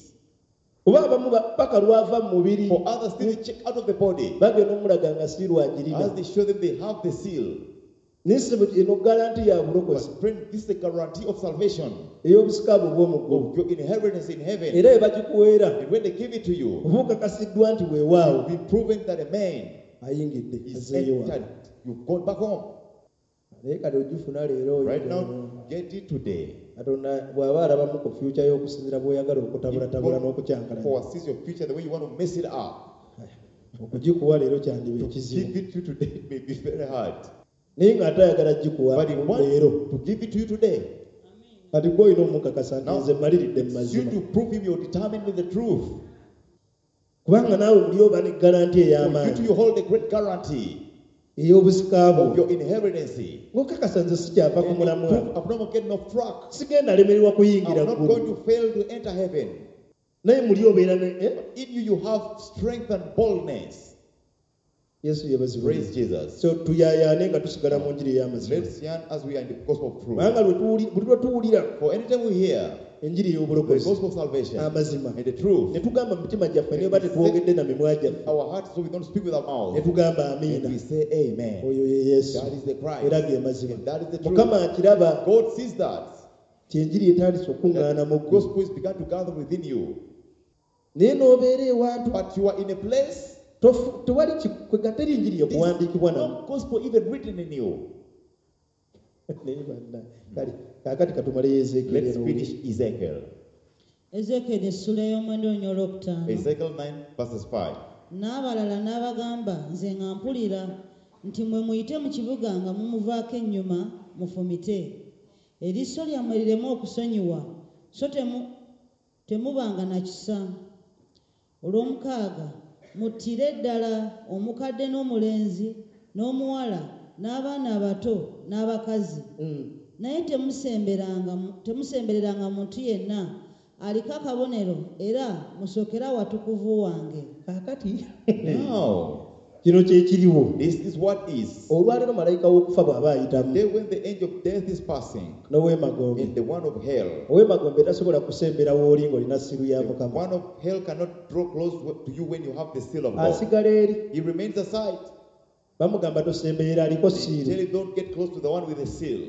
Kuba abamu paka lwava mu mubiri For others, still they check out of the body. bagenda omulaga nga siiru agirina. As they show them they have the seal. Naye si bwe eno garanti ya bulokozi But friend, this is the guarantee of salvation, ey'obusika bwo obw'omu ggulu. of your inheritance in heaven. Era bwe bagikuweera And when they give it to you, oba okakasiddwa nti weewaawo be proven that a man ayingidde is azzeeyo wano. entered. You've gone back home. Naye kati ogifuna leero Right oyinza now, get it today. Katonda bw'aba alabamu ku future y'okusinziira bw'oyagala If okutabulatabula God n'okukyankalanya foresees your future the way you want to mess it up, okugikuwa leero kyandiba to ekizibu. give it to you today it may be very hard. Naye ng'ate ayagala gikuwa But he wants leero. to give it to you today. Kati gwe olina omukakasa nti Now, nze mmaliridde mu It's you mazima. to prove him you're determined in the truth. Kubanga naawe muli oba ne garanti For you ey'amaanyi to you hold a great guarantee ey'obusika of bwo. your inheritance. Ng'okakasa nze sikyava ku And you mulamwa. prove I'm not getting off track. Sigenda lemererwa kuyingira I'm not ggulu. going to fail to enter heaven. Naye muli obeera ne eh? In you, you have strength and boldness. Yesu yeebazibwe. Praise Jesus. So tuyaayaane nga tusigala mu njiri ey'amazima. Let's yearn as we are in the gospel of truth. Kubanga buli lwe tuwulira For anytime we hear enjiri the ey'obulokozi gospel of salvation amazima and the truth, ne tugamba mu mitima gyaffe ne oba tetwogedde na mimwa gyaffe our hearts, so we don't speak with our ne mouth, tugamba and amiina we say amen. oyo ye Yesu That is the era Christ. ge mazima. And that is the truth. Mukama akiraba God sees that. nti enjiri etandise okuŋŋaana mu That ggwe gospel is begun to gather within you. naye n'obeera ewantu But you are in a place, tewali kwega teri njiri there's ekuwandiikibwa namu. no gospel even written in you. Naye banna, kale kaakati katumaleyo Ezeekyeri Let's eno. finish Ezekiel. Ezeekyeri essula ey'omwenda olunya olwokutaano. Ezekiel 9, verses 5. N'abalala n'abagamba nze nga mpulira nti mwe muyite mu kibuga nga mumuvaako ennyuma mufumite. Eriiso lyammwe lireme okusonyiwa so temubanga na kisa. Olw'omukaaga muttire ddala omukadde n'omulenzi n'omuwala n'abaana abato n'abakazi. Naye temusembereranga muntu yenna aliko akabonero era musookere awatukuvu wange. Kaakati Now, kino kye kiriwo. this is what is. Olwaleero malayika w'okufa bw'aba ayitamu Day when the angel of death is passing, n'ow'emagombe and the one of hell, ow'emagombe tasobola kusembera w'oli ng'olina siru ya the Mukama. one of hell cannot draw close to you when you have the seal of God. Asigala eri He remains aside. bamugamba tosemberera aliko They siiru. tell him, don't get close to the one with the seal.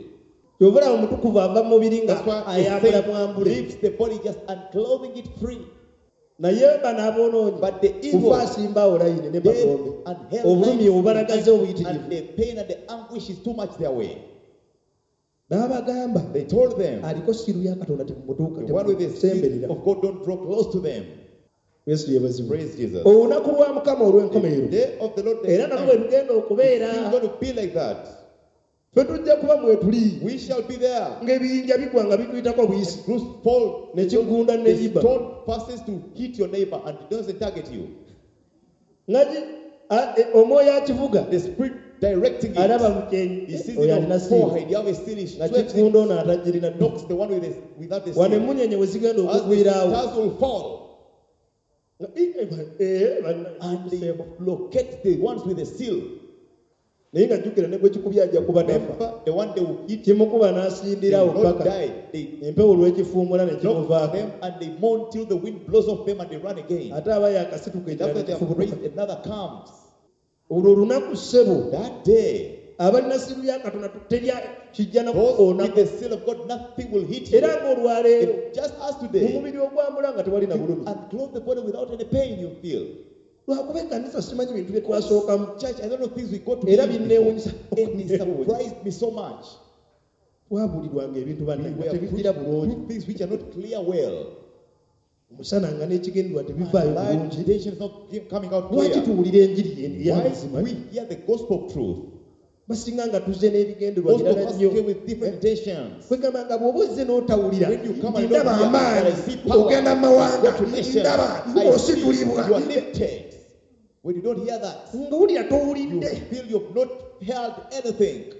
Kyova olaba omutukuvu ava mu mubiri nga That's why the ayambula saint mwambule. leaves the body just unclothing it free. Naye bano aboonoonyi But the evil, kufa asimba awo layini ne death magombe. and hell, Obulumi obubalagaze and obuyitirivu. the pain and the anguish is too much their way. N'abagamba They told them, aliko siiru ya Katonda temumutuuka the one with the seal temusemberera. of God, don't draw close to them. Yesu yeebazibwe. Praise Jesus. Olunaku lwa Mukama The olw'enkomerero day of the Lord, the era nalwo bwe lugenda okubeera it's going to be like that. ffe tujja kuba mwetuli We shall be there. ng'ebiyinja bigwa nga bituyitako buyisi Bruce fall, ne kigunda the neyiba stone passes to hit your neighbor and it doesn't target you. nga omwoyo akivuga The spirit directing Alaba it. mu kyenyi He sees oyo it on alina seal forehead. You have a seal. He nga sweeps kikunda it, ono atagirina. Knocks the one without the Wano seal. emmunyenye we zigenda As the okugwiraawo stars will fall, Nga, "Ii, eh, eh, banna- and they locate the ones with the seal. Naye nga jjukira ne gwe kikubye ajja kuba tafa. Remember, the one they will hit, Kimukuba they n'asindirawo will not paka die. They empewo lw'ekifuumula ne knock kimuvaako. them and they mourn till the wind blows off them and they run again. Ate aba yakasituka And ekirala after they have nekifubutuka. raised, another comes. Olwo olunaku ssebo That day, abalina seal ya Katonda terya kijja those nakukoona. with the seal of God, nothing will hit you. Era ng'olwaleero It- just as mu today, mubiri ogwambula nga tewali na you bulumi. unclothe the body without any pain you feel. Lwakuba ekkanisa simanyi bintu bye twasookamu. Church, I don't know things we go to Era believe binneewuunyisa. before. And it surprised me so much. Twabulirwanga ebintu We banne nga were tebijjira bulungi. put things which are not clear well. Omusana nga n'ekigendererwa tebivaayo Light bulungi. intention is not coming out Lwaki clear. tuwulira enjiri eno Why ey'amazima? we hear the gospel of truth? Basinga nga tuzze n'ebigendererwa Most of birala us nnyo. came with different intentions. Kwegamba nga bw'oba ozze n'otawulira When you come and nti ndaba don't hear, amaanyi I see power, ogenda mu mawanga go to nations, ndaba I see ositulibwa you are lifted. When you don't hear that, ng'owulira you towulidde feel you've not held anything.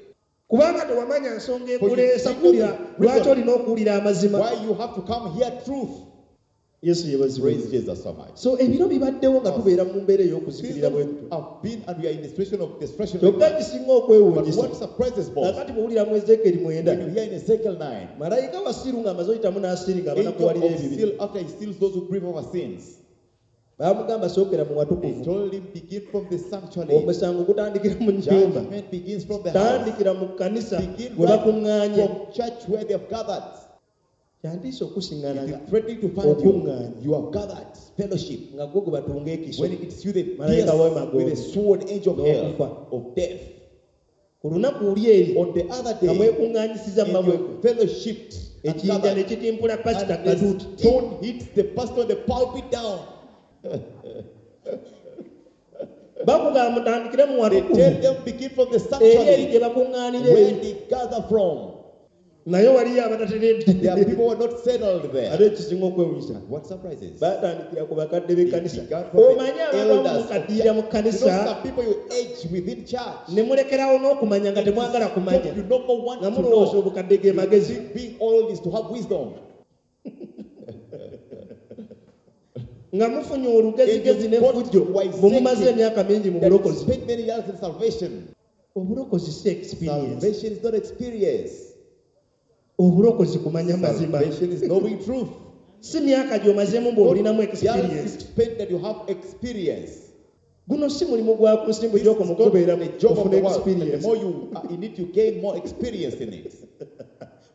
Kubanga tewamanya nsonga ekuleesa For you kuwulira did not know lwaki olina okuwulira amazima. Why you have to come hear truth. Yesu yeebazibwe. Praise Jesus so much. So ebiro bibaddewo nga tubeera mu mbeera ey'okuzikirira bwe Seasons tutyo. have been and we are in the situation of destruction. Like Kyokka that. kisinga But okwewuunyisa what surprises most, kakati bw'owulira mu Ezeekeri 9 when you hear in Ezekiel 9, malayika wa seal ng'amaze oyitamu n'asiiri angel ng'abanakuwalira of ebibi seal after he seals those who grieve over sins, baamugamba sookera mu they watukuvu. told him, begin from the sanctuary. Omusango gutandikira mu nnyumba. Judgment begins from the house. Tandikira mu kkanisa Begin we right bakuŋŋaanye. from church where they have gathered. Kyantiisa okusiŋŋaana It nga is threatening to find you. okuŋŋaanye You have gathered fellowship. nga gwe gwe batunga ekiso When it's you, they Malayika pierce w'emagombe. with a sword, angel of hell, N'okufa. of death. Ku lunaku oli eri On the other nga day, mwekuŋŋaanyisiza in mmamwe your fellowship, and ekiyinja gathered, ne kitimpula pasita and the katuuti. stone hits the pastor on the pulpit down. Bakugamba mutandikire mu They watukuvu tell them begin from the eri eri gye sanctuary bakuŋŋaanira where eri they gather from. Naye waliyo abatateredde. There are people who are not settled there. Ate ekisinga okwewunyisa What surprises? batandikira ku bakadde They b'ekkanisa. began from the Omanyi abamu elders of mukaddiira mu church. You know, kkanisa some people you age within church. ne mulekerawo n'okumanya nga temwagala kumanya You no more want nga to mulowooza know. obukadde ge You magezi. think being old is to have wisdom. Nga mufunye olugezigezi And you got n'effujjo wise bwe mumaze emyaka mingi mu That you bulokozi. spend many years in salvation. Obulokozi si experience. Salvation is not experience. Obulokozi kumanya mazima. Salvation is knowing truth. Si myaka gy'omazeemu ng'olinamu Not years you experience. spend that you have experience. Guno si mulimu gwa ku nsimbi This is gy'okoma not okubeera the job of ofuna the world. And the experience. more you are in it, you gain more experience in it.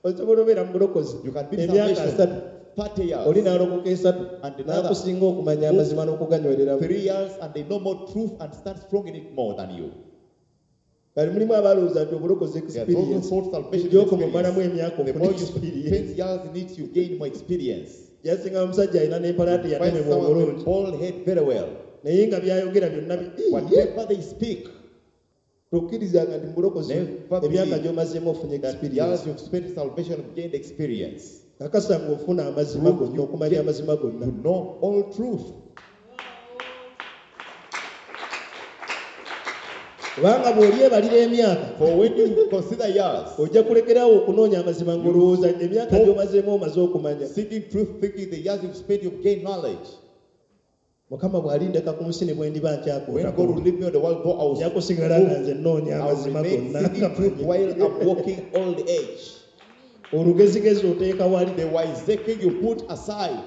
Osobola obeera mu bulokozi You can be in emyaka salvation 30 30 years, oli n'alokoka 3 And another. n'akusinga okumanya amazima n'okuganywereramu. 3 years, and they know more truth and stand strong in it more than you. Kali mulimu abalowooza nti obulokozi There are those who experience thought salvation is gy'okoma omalamu experience. emyaka The ofuna more you experience. spend years in it, you gain more experience. Yasinga omusajja alina n'empalaate Find yatemebwa someone with obulungi bald head very well. naye nga byayogera byonna Iye! Whatever they speak, Tokkirizanga nti mu bulokozi Never emyaka believe gy'omazeemu ofunye that experience. years you've spent in salvation have gained experience. Kakasa ng'ofuna amazima Prove gonna you okumanya get amazima gonna. to know all truth. Kubanga bw'olyebalira emyaka For when you consider years, ojja kulekerawo okunoonya amazima ng'olowooza emyaka Stop. gy'omazeemu omaze okumanya. Seeking truth, thinking the years you've spent, you've gained knowledge. Mukama bw'alindeka ku nsi ne bwe ndiba When God will nkyakoota leave me on the world, though I will, nja kusigala nga nze nnoonya I will amazima remain gonna. seeking truth while I'm walking old age. Olugezigezi oteeka wali. The wiseacre you put aside.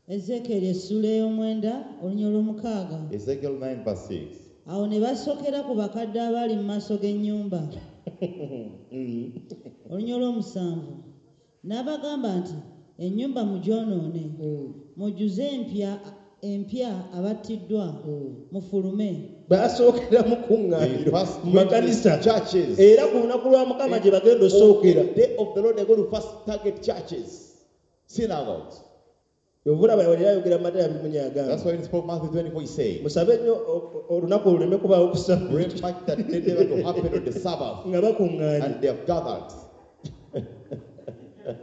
Ezeekeri essula ey'omwenda olunya olw'omukaaga. Ezekiel 9, verse 6. Awo ne basokera ku bakadde abaali mu maaso g'ennyumba. Olunya olw'omusanvu n'abagamba nti ennyumba mugyonoone mujjuze empya empya abattiddwa mufulume. Basookera mu They kuŋŋaaniro first mu went to makanisa the churches. era ku lunaku lwa Mukama gye bagenda osookera. On the day of the Lord, they're going to first target churches, synagogues. Yovulaba yali ayogera mu Matayo 24 That's agamba why in spoke Matthew 24, he said, musabe nnyo olunaku oluleme kubaawo Pray kusaba much that they never to happen on the Sabbath, nga bakuŋŋaanye. and they have gathered.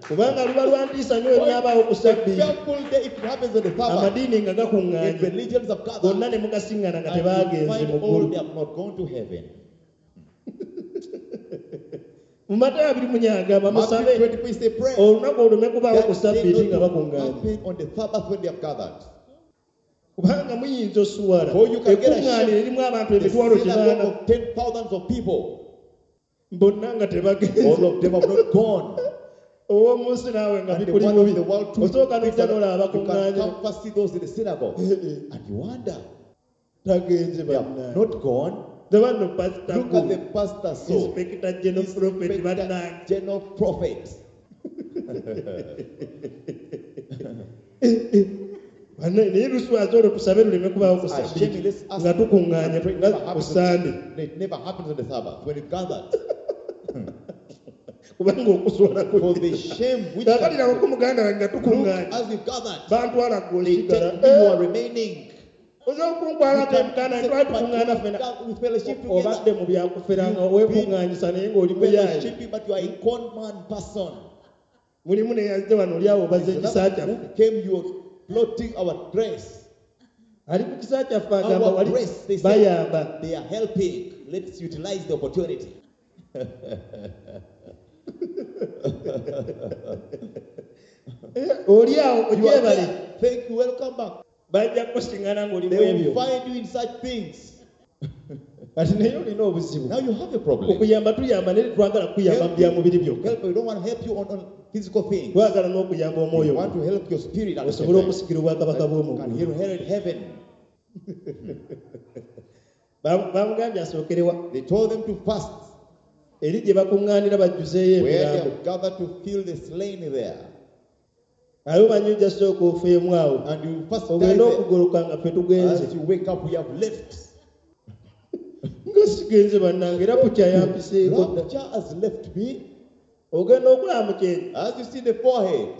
Kubanga luba lwa ntiisa nnyo olunaabaawo ku A Ssabbiiti. fearful day if it happens on the Sabbath. Amadiini nga If gakuŋŋaanye religions have gathered, gonna ne mugasiŋŋana nga and you tebaagenze find mu all ggulu. they have not gone to heaven. Mu Matayo 24 agamba Matthew musabe 24 is a prayer. olunaku olume kubaawo ku That day Ssabbiiti nga not to bakuŋŋaanye. happen on the Sabbath when they have gathered. Kubanga muyinza osuwala For you can get ekuŋŋaaniro ashamed. erimu abantu The emitwalo synagogue 8 of 10,000 of people, bonna nga tebagenze. all of them have not gone. Ow'omu nsi naawe nga And the bikuli one of bubi the world too, osooka things n'ojja are n'olaba not- you can bakuŋŋaanye come first see those in the synagogue. And you wonder, tagenze they have bannange. not gone. Laba nno pasita Look at the pastor so. Inspector General Prophet Inspector bannange. General Prophet. Bannaye naye luswaza olwo tusabe luleme kubaawo ku A shame, Ssabbiiti let's ask. nga tukuŋŋaanye It nga never ku happens Ssande. It never happens on the Sabbath when it gathered. Kubanga okuswala For the shame which kaakati nabako muganda wange nga look tukuŋŋaanye as we've gathered, bantwala they gweosigala take me, you are remaining. osobola okunkwalako emukana You twali can- tukuŋŋaana ffena we fellowship obadde together. mu byakufera nga You've weekuŋŋaanyisa naye ng'oli muyaaye Fellowshipping, but you are a con man person. Mulimu neyazze wano oli awo obazza There's ekisa another kyaffe. who came, you are plotting our grace. Ali ku kisa kyaffe agamba Our wali grace, they say, bayamba. they are helping. Let's utilize the opportunity. Eh, oli awo You are ogyebale. there. Thank you. Welcome back. Bajja kusiŋŋana ng'oli mu They ebyo. will find you in such things. Kati naye olina obuzibu. Now you have a problem. Okuyamba tuyamba naye tetwagala kuyamba mu bya mubiri byokka. Help, we don't want to help you on physical things. Twagala n'okuyamba We omwoyo want to help your spirit at the same osobole time. okusikira obwakabaka bw'omu Can ggulu. inherit heaven. Bamugambye asookerewa They told them to fast eri gye bakuŋŋaanira bajjuzeeyo where they emirambo. have gathered to fill the slain there. Aye omanyi ojja sooka ofeemu awo And you first die ogende there. okugoloka nga ffe tugenze. As you wake up, we have left. Nga sigenze bannange era pukya yampiseeko dda. Rapture has left me. Ogenda okulaba mu kyenyi As you see the forehead,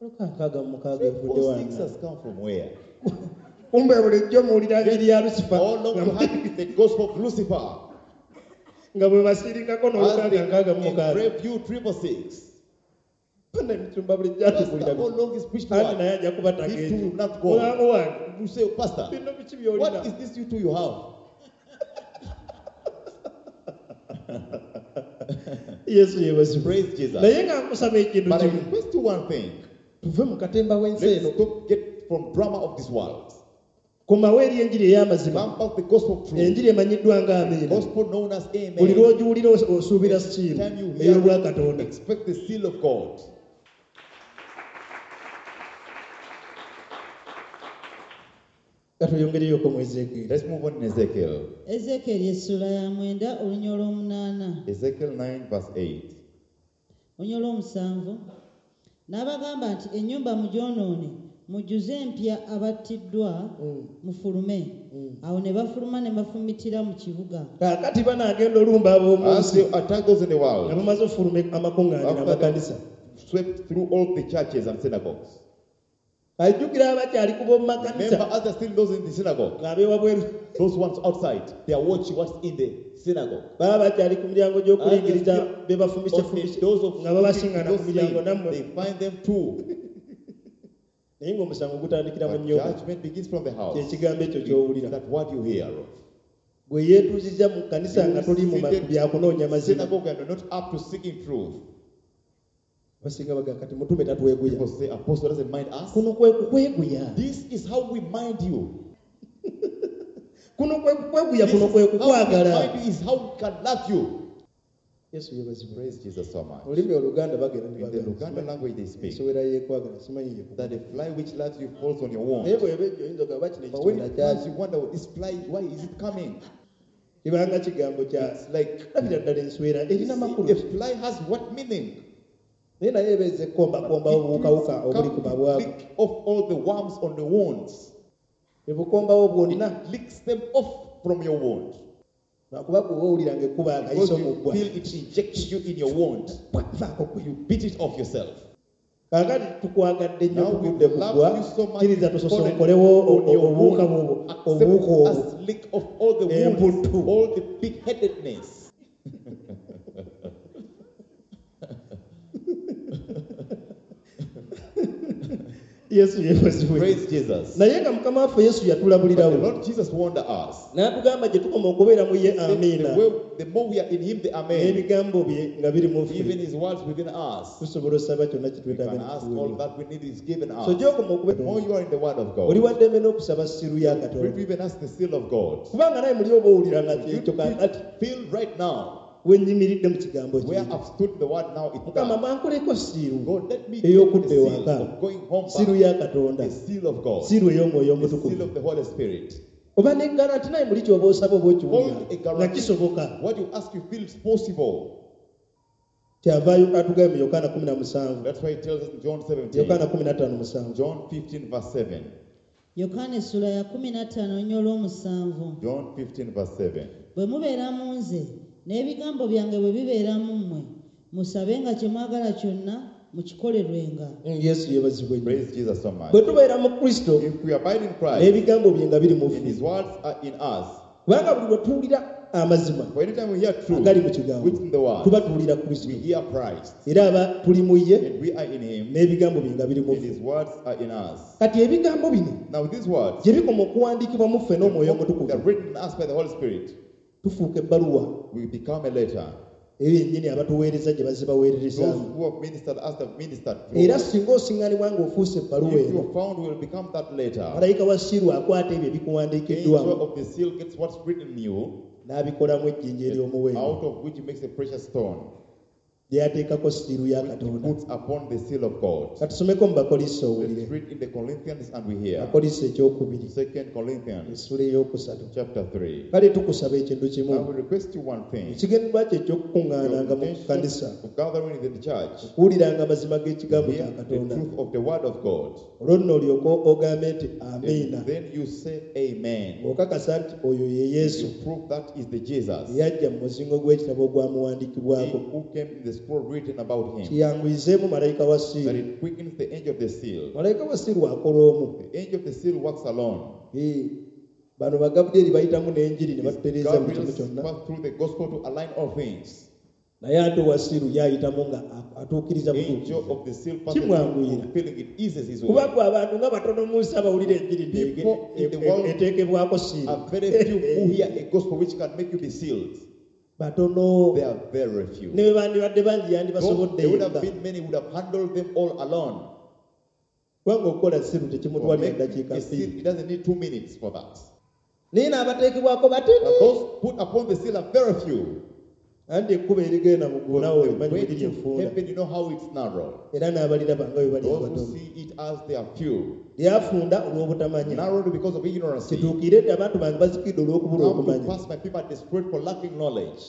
666 evudde 4 6 wanna. has come from where? Kumbe bulijjo muwulira njiri ya Lucifer All along you had the gospel of Lucifer. Nga bwe basiringako As n'olukaaga they nkaaga mu mukaaga. engraved you 666. Bonna emisumba bulijjo Pastor, atubuulira all along is preached anti to naye ajja kuba He too tagenze. will not go. Mulango wange You say, Pastor, bino biki by'olina? what is this you two you have? Yesu yeebazibwe. Praise Jesus. Naye nga nkusaba ekintu But I kimu request you one thing. tuve mu katemba w'ensi Let's eno stop get from drama of this world. Komawo eri enjiri ey'amazima. Come back the gospel of truth. Enjiri emanyiddwa nga amiina. Gospel known as Buli Amen. lw'ogiwulira osuubira siiro Time you hear ey'obwakatonda. it, expect the seal of God. Ka tweyongereyoko mu Ezeekyeri. Let's move on in Ezekiel. Ezeekyeri essula ya 9 olunya olw'omunaana. Ezekiel 9, verse 8. Olunya olw'omusanvu. N'abagamba nti ennyumba mugyonoone mujjuze empya abattiddwa mufulume. Awo ne bafuluma ne bafumitira mu kibuga. Kaakati banaagenda olumba ab'omu As nsi they attack those in the nga world, bamaze okufuluma amakuŋŋaaniro after amakanisa. they swept through all the churches and synagogues. Ajjukira abakyali ku b'omu makanisa Remember, as they're still those in the synagogue, ng'ab'ewabweru those ones outside, they are watching what's in the synagogue. baba bakyali ku miryango gy'okuyingiriza be On bafumisefumise the doors of nga babasiŋŋana ku those miryango slain, nammwe. they find them too. Naye ng'omusango gutandikira mu But nnyumba. judgment begins from the house. Kyekigambo ekyo ky'owulira. That what you hear of. Gwe yeetuuzizza mu kkanisa nga toli mu Seated byakunoonya mazima. Synagogue and you're not up to seeking truth. Basinga baga kati mutume tatweguya. People say, Apostle doesn't mind us. Kuno kwe kukweguya. This is how we mind you. Kuno kwe kukweguya This kuno is kwe how we kukwagala. mind you is how we can love you. Yesu yeebazibwe. Praise Jesus so much. Olulimi oluganda bagenda ne In the bagamba, Luganda language they speak, ensowera yeekwagala simanyi yekukwagala. that the fly which loves you falls on your wound. Naye bw'eba ejjo oyinza ogamba kino But when ekitonda it comes, kyaki. you wonder, this fly, why is it coming? Kibanga kigambo kya It's like, labira ddala enswera erina makulu a ki? fly has what meaning? Naye naye ebeeza ekkombakomba obuwukawuka It obuli ku come to mabwako. lick off all the worms on the wounds. Ebukombawo bwonna. It licks them off from your wound. Lwakuba gwe owulira ng'ekkuba Because akayiso you mu ggwa. feel it injects you in your wound. Vaako gwe. You beat it off yourself. Kaakati tukwagadde nnyo Now we tugudde ku love ggwa you so much. kkiriza we've tusosonkolewo fallen on your obuwuka wound. bw'obwo Accept obuwuka obwo us lick off all the wounds, Emputtu. all the big-headedness. Yesu yeebazibwe. Praise Jesus. Naye nga Mukama waffe Yesu But the yatulabulirawo Lord Jesus warned us. n'atugamba gye tukoma okubeera mu ye amiina The more we are in him, the amen. N'ebigambo bye nga biri mu ffe Even his words within us. Tusobola osaba kyonna We kye twetaaga can ask all ne that we need is given us. So gy'okoma The more okubeera you are in the word of oli God, wa ddembe n'okusaba seal ya we Katonda even ask the seal of God. Kubanga naye muli oba owulira nga You kyekyo kaakati feel right now wenyimiridde mu kigambo where kye I've stood in the word now. It's Mukama done. bankoleko seal God, let me get the ey'okudda seal ewaka of going home seal back. ya Katonda The seal of God. Seal ey'omwoyo The seal omutukuvu of the Holy Spirit. Oba ne guarantee naye muli kyoba osaba oba okiwulira Hold a nga guarantee. kisoboka What you ask, you feel it's possible. Kyavaayo atugambye mu Yokaana 17 That's why he tells us in John 17, Yokaana 15:7 John 15, verse 7. Yokaana essula ya 15 nnyo olw'omusanvu. John 15, verse 7. Bwe mubeera mu nze n'ebigambo byange bwe bibeera mu mmwe musabenga kye mwagala kyonna mukikolerwenga. Yesu yeebazibwe nnyo. Praise Jesus so much. Bwe tubeera mu Kristo If we abide in Christ n'ebigambo bye nga biri mu and ffe his words are in us, kubanga buli lwe tuwulira amazima for anytime we hear truth agali mu kigambo which in the word, tuba tuwulira Kristo we hear Christ era aba tuli mu ye and we are in him n'ebigambo bye nga biri mu and ffe his words are in us. Kati ebigambo bino Now these words gye bikoma okuwandiikibwa mu ffe n'omwoyo omutukuvu they're written in us by the Holy Spirit. Tufuuka ebbaluwa We become a letter. Eyo yennyini abatuweereza gye Those bazibaweererezaamu who have ministered us have ministered through. Era singa osiŋŋanibwa ng'ofuuse ebbaluwa If you eno are found, will become that letter. Malayika wa seal akwata ebyo Angel ebikuwandiikiddwamu of the seal gets what's written in you, n'abikolamu ejjinja ery'omuwendo out of which he makes a precious stone, lyateekako seal ya which he Katonda puts upon the seal of God. Katusomeko mu Bakoliso Let's owulire read in the Corinthians and we hear. Bakoliso ekyokubiri Second Corinthians essula eyokusatu chapter 3. Kale tukusaba ekintu Now kimu we request you one thing. Ekigendererwa kye Your ekyokukuŋŋaananga mu intention kanisa of gathering in the church, okuwuliranga amazima g'ekigambo hear kya the Katonda truth of the word of God. Olwo nno olyoke ogambe nti amiina And then you say amen. Ng'okakasa nti oyo ye Yesu You prove that is the Jesus. Eyajja mu muzingo gw'ekitabo He ogwamuwandiikibwako who came in the scroll written about him. Kiyanguyizeemu malayika wa That seal it quickens the angel of the seal. Malayika wa seal akola omu The angel of the seal works alone. Eh, bano bagabulyeri bayitamu n'enjiri ne batutereeza buli kimu Gabriel kyonna passed through the gospel to align all things. Naye ate owa seal yayitamu nga atuukiriza Angel butuukiriza of the seal passes through, Kimwanguyira. fulfilling it eases his Kuba way. gwe abantu nga batono mu nsi abawulira enjiri People in the world eteekebwako seal Are very few who hear a gospel which can make you be sealed. Batono They are very few. Ne bwe bandibadde bangi Though yandibasobodde there would have yekka been many who would have handled them all alone. Kubanga okukola seal For tekimutwalira make ddakiika a seal, bbiri it doesn't need 2 minutes for that. Naye n'abateekebwako batini But those put upon the seal are very few. Anti ekkubo erigenda mu ggulu naawe The olimanyi way bwe liri to enfunda heaven, you know how it's narrow. Era n'abaliraba nga bwe bali Those who abatono see it as they are few. Lyafunda olw'obutamanya Narrowed because of ignorance. Come kituukire nti abantu bange bazikidde olw'okubula to okumanya pass, my people are desperate for lacking knowledge.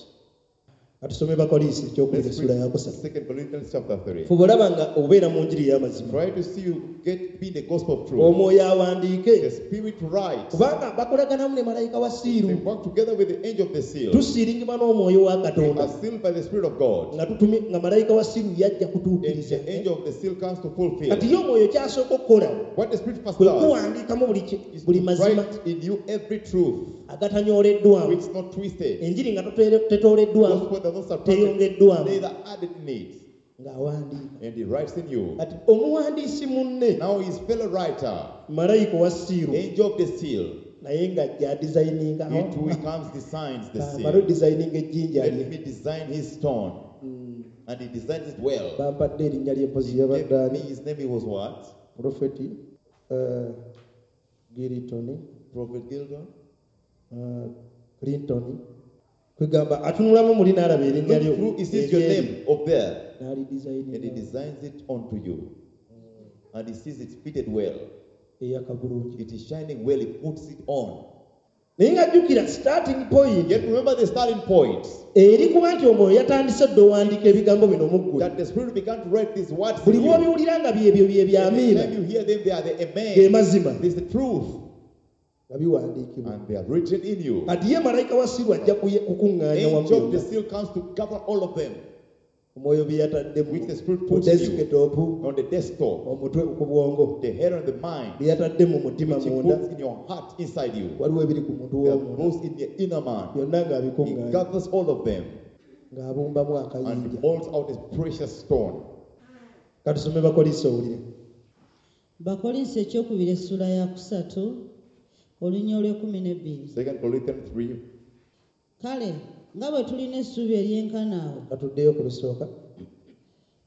Katusome Bakoliisi ekyokubiri Let's essula read yakusatu 2 Corinthians chapter 3. Fuba olaba nga obeera mu njiri ey'amazima Try to see you get be the gospel of truth. Omwoyo awandiike The spirit writes. Kubanga bakolaganamu ne malayika wa seal They work together with the angel of the seal. Tusiiringibwa n'omwoyo wa We Katonda are sealed by the Spirit of God. Nga tutumi nga malayika wa seal yajja And kutuukiriza the angel of the seal comes to fulfill. Kati ye omwoyo kyasooka okukola What the Spirit first kwe does kuwandiikamu buli ki- is buli to mazima write in you every truth agatanyoleddwamu which is not twisted. enjiri nga tetooleddwamu Gospel does not subtract it, teyongeddwamu neither added in it. Ng'awandiika And he writes in you. Kati omuwandiisi munne Now his fellow writer, malayika owa seal angel of the seal, naye ng'ajja adizayininga he too he comes designs the amale seal. odizayininga ejjinja Let lye me design his stone. And he designs it well. Bampadde erinnya ly'empozi He gave yabadde me ani his name, he was what? Profeti Giritoni Prophet Gildon. Clinton kwegamba atunulamu muli n'alaba erinnya lyo Look through, he sees your eryeri name up there. And he n'alidizayininga designs it onto you. And he sees it fitted well. Eyaka bulungi It is shining well, he puts it on. Naye ng'ajjukira starting point Yet remember the starting point eri kuba nti omwoyo yatandise dda owandiika ebigambo bino mu ggwe that the Spirit began to write these words. Buli In you. lw'obiwulira nga byebyo bye byamiina Every time you hear them, they are the ge amen. mazima This is the truth. Nga biwandiikibwa And they are written in you. Kati ye malayika wa seal ajja kuye- kukuŋŋaanya wamu Angel of the byonna seal comes to gather all of them omwoyo bye yatadde which the Spirit mu puts in you desktop on the desktop, omutwe ku bwongo the head and the mind, bye yatadde mu mutima which he munda puts in your heart inside you. Waliwo ebiri ku muntu There are w'omunda those in the inner man. Byonna He ng'abikuŋŋaanya gathers all of them ng'abumbamu and akayinja molds out a precious stone. Katusome Bakoliisi owulire. Bakolinso ekyokubiri essula ya kusatu olunya olw'ekumi n'ebbiri. 2 Corinthians 3. Kale nga bwe tulina essuubi eryenkana awo. Katuddeyo ku lusooka.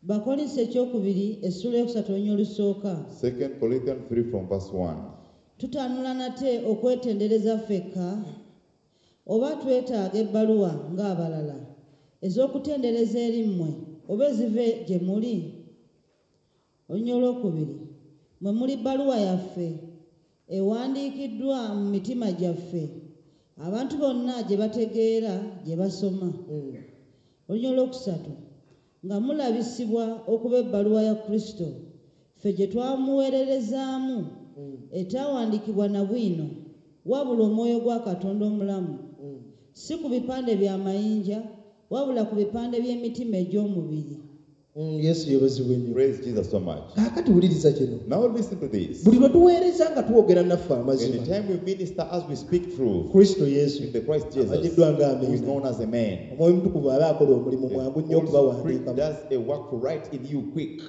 Bakolinso ekyokubiri essula eyokusatu olunya olusooka. 2 Corinthians 3 from verse 1. Tutanula nate okwetendereza ffekka oba twetaaga ebbaluwa ng'abalala ez'okutendereza eri mmwe oba eziva gye muli. Olunya olwokubiri mwe muli bbaluwa yaffe ewandiikiddwa mu mitima gyaffe abantu bonna gye bategeera gye basoma. Olunya olwokusatu nga mulabisibwa okuba ebbaluwa ya Kristo ffe gye twamuweererezaamu etaawandiikibwa na bwino wabula omwoyo gwa Katonda omulamu, si ku bipande bya mayinja wabula ku bipande by'emitima egy'omubiri. Yesu yeebazibwe nnyo. Praise Jesus so much. Kaakati wuliriza kino. Now listen to this. Buli lwe tuweereza nga twogera naffe amazima. Anytime we minister as we speak truth. Kristo Yesu. In the Christ Jesus. Amanyiddwa nga Who is Amiina. known as a man. Omwoyo Omutukuvu aba akola omulimu The mwangu nnyo Holy Spirit okubawandiikamu. does a work to write in you quick.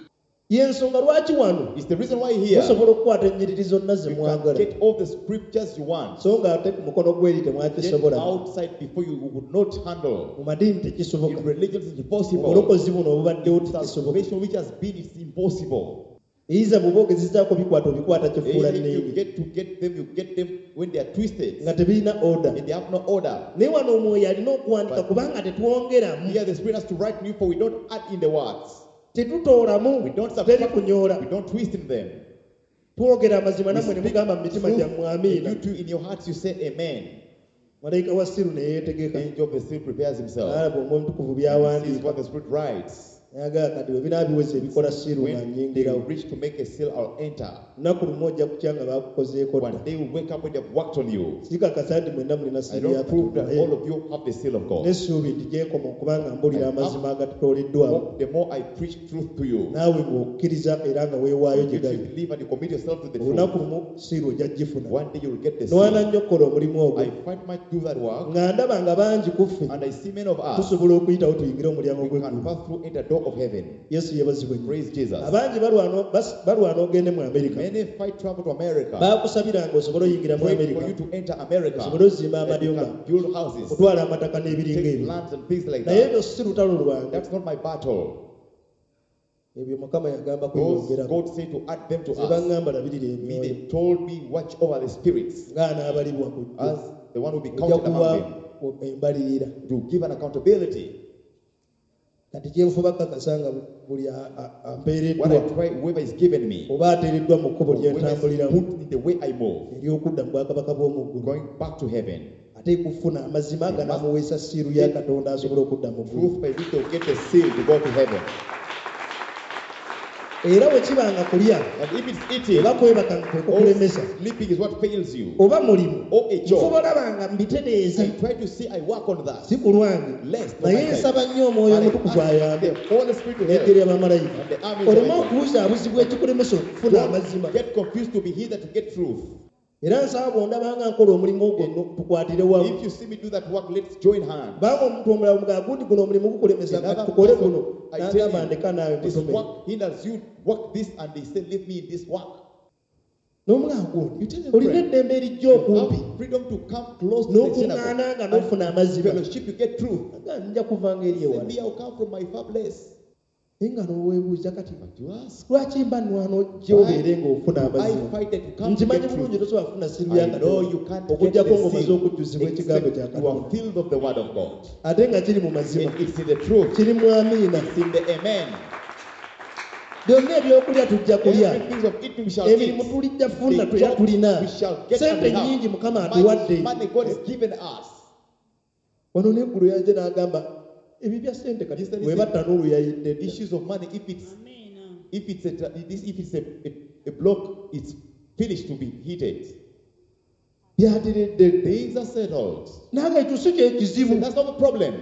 Y'ensonga lwaki wano It's the reason why here musobola okukwata ennyiriri zonna ze you can mwagala. get all the scriptures you want. So ng'ate ku mukono gw'eri Get temwakisobola. outside before you would not handle. Mu madiini tekisoboka. In religions it's impossible. Obulokozi buno obubaddewo tekisoboka. Salvation which has been, it's impossible. Either bw'oba ogezezaako bikwata obikwata kifuula Either you nneene. get to get them, you get them when they are twisted. Nga tebirina order. And they have no order. Naye wano omwoyo alina okuwandika But kubanga tetwongeramu. Here the Spirit has to write new, for we don't add in the words. Tetutoolamu, We don't teri subtract, kunyoola. we don't twist in them. Twogera amazima We nammwe ne speak mugamba mu mitima truth, gyammwe and amiina. you too in your hearts you say amen. Malayika wa Siru ne yeetegeka. The angel of the seal prepares himself. N'alaba Omwoyo Omutukuvu He sees by'awandiika. what the Spirit writes. N'agamba kati bwe binaabiweza ebikola Siru nga When they nnyingirawo. reach to make a seal, I'll enter. Lunaku lumu ojja kutya nga baakukozeeko dda. One day you wake up when they've worked on you. Sikakasa nti mwenna mulina I siru ya don't prove that Katonda. all of you have the seal of God. N'essuubi nti gyekoma okuba nga mbulira amazima agatutoleddwamu. The more I preach truth to you, Naawe ng'okkiriza era nga weewaayo gye if you gali. believe and you commit yourself to the truth, Olunaku lumu siiru ojja gifuna. one day you'll get the Nwana seal. nnyo okukola omulimu ogwo. I fight much do that work, Nga ndaba nga bangi ku ffe and I see many of us, tusobola okuyitawo tuyingire omulyango we can gw'eggulu. pass through enter door of heaven. Yesu yeebazibwe nnyo. Praise Jesus. Abangi balwana ogende mu Amerika. Many fight travel to America. Baakusabiranga osobole oyingira mu Pray Amerika. for you to enter America. Osobole ozimba That you amayumba, can build houses, okutwala amataka n'ebiringa take ebyo. lands and things like Naye that. ebyo si lutalo lwange. That's not my battle. Ebyo Mukama yagamba Those kubyongerako. God said to add them to Nze us. baŋŋamba labirira Me, emyoyo they told me, watch over the spirits ng'anaabalibwa ku jjo. as the one who be Ojja counted kuwa among them embalirira. to give an accountability. Kati kye nfuba kakasa nga buli What ampeereddwa I try, whoever is given me, oba ateereddwa mu kkubo lye whoever is ntambuliramu put in the way I move, ery'okudda mu bwakabaka bw'omu ggulu. going back to heaven. Ate kufuna amazima ganamuweesa siiru ya Katonda asobole okudda mu ggulu. Truth by which they'll get the seal to go to heaven. Era bwe kiba nga kulya And if it's eating, oba kwebaka nga kwe or kukulemesa sleeping is what fails you, oba mulimu or a nfuba job, olaba nga mbitereeza I try to see I work on that. si ku lwange Lest on naye my side. nsaba nnyo omwoyo But I omutukuvu ask ayambe the Holy Spirit to n'eggye help. ly'abamalayika And the armies of oleme heaven. okubuzaabuzibwa ekikulemesa okufuna amazima. Don't get confused to be here to get truth. Era nsaba bw'ondaba nga nkola omulimu ogwo nno tukwatire wamu. If you see me do that work, let's join hands. Kubanga omuntu omulala omugaa gundi guno omulimu gukulemesa nga Another tukole person, guno I tell n'agamba ndeka naawe you, this mutume. work hinders you, work this, and they say, leave me in this work. N'omugaa gundi You tell them, olina friend, eddembe erijja you okumpi have freedom to come close to the n'okuŋŋaana synagogue nga n'ofuna and amazima. fellowship, you get truth. Aga nja kuvanga eri Say, ewala. me, I'll come from my far place. Naye nga n'oweebuuza kati But you ask, lwaki mba nnwana ojja obeere ng'ofuna I amazima? fight that you come to Nkimanyi get bulungi truth. tosobola kufuna siiru ya I know Katonda you can't get okuggyako the ng'omaze seal okujjuzibwa ekigambo kya except you are Katonda. filled of the word of God. Ate nga kiri mu mazima, And it's in the truth. kiri mu amiina. It's in the amen. Byonna ebyokulya tujja kulya. Everything of eating we shall Emirimu eat. tulijja funa The era job tulina. we shall get Sente and we have. nnyingi Mukama Money, atuwadde. money God has given us. Wano n'eggulu yajja n'agamba ebyo bya ssente kati He said, bw'eba ttanuulu yayidde dda. Issues of money, if it's Amiina. if it's a if it's a block, it's finished to be heated. Byateredde dda. Things are settled. Nange ekyo si kye See, kizibu. that's not the problem.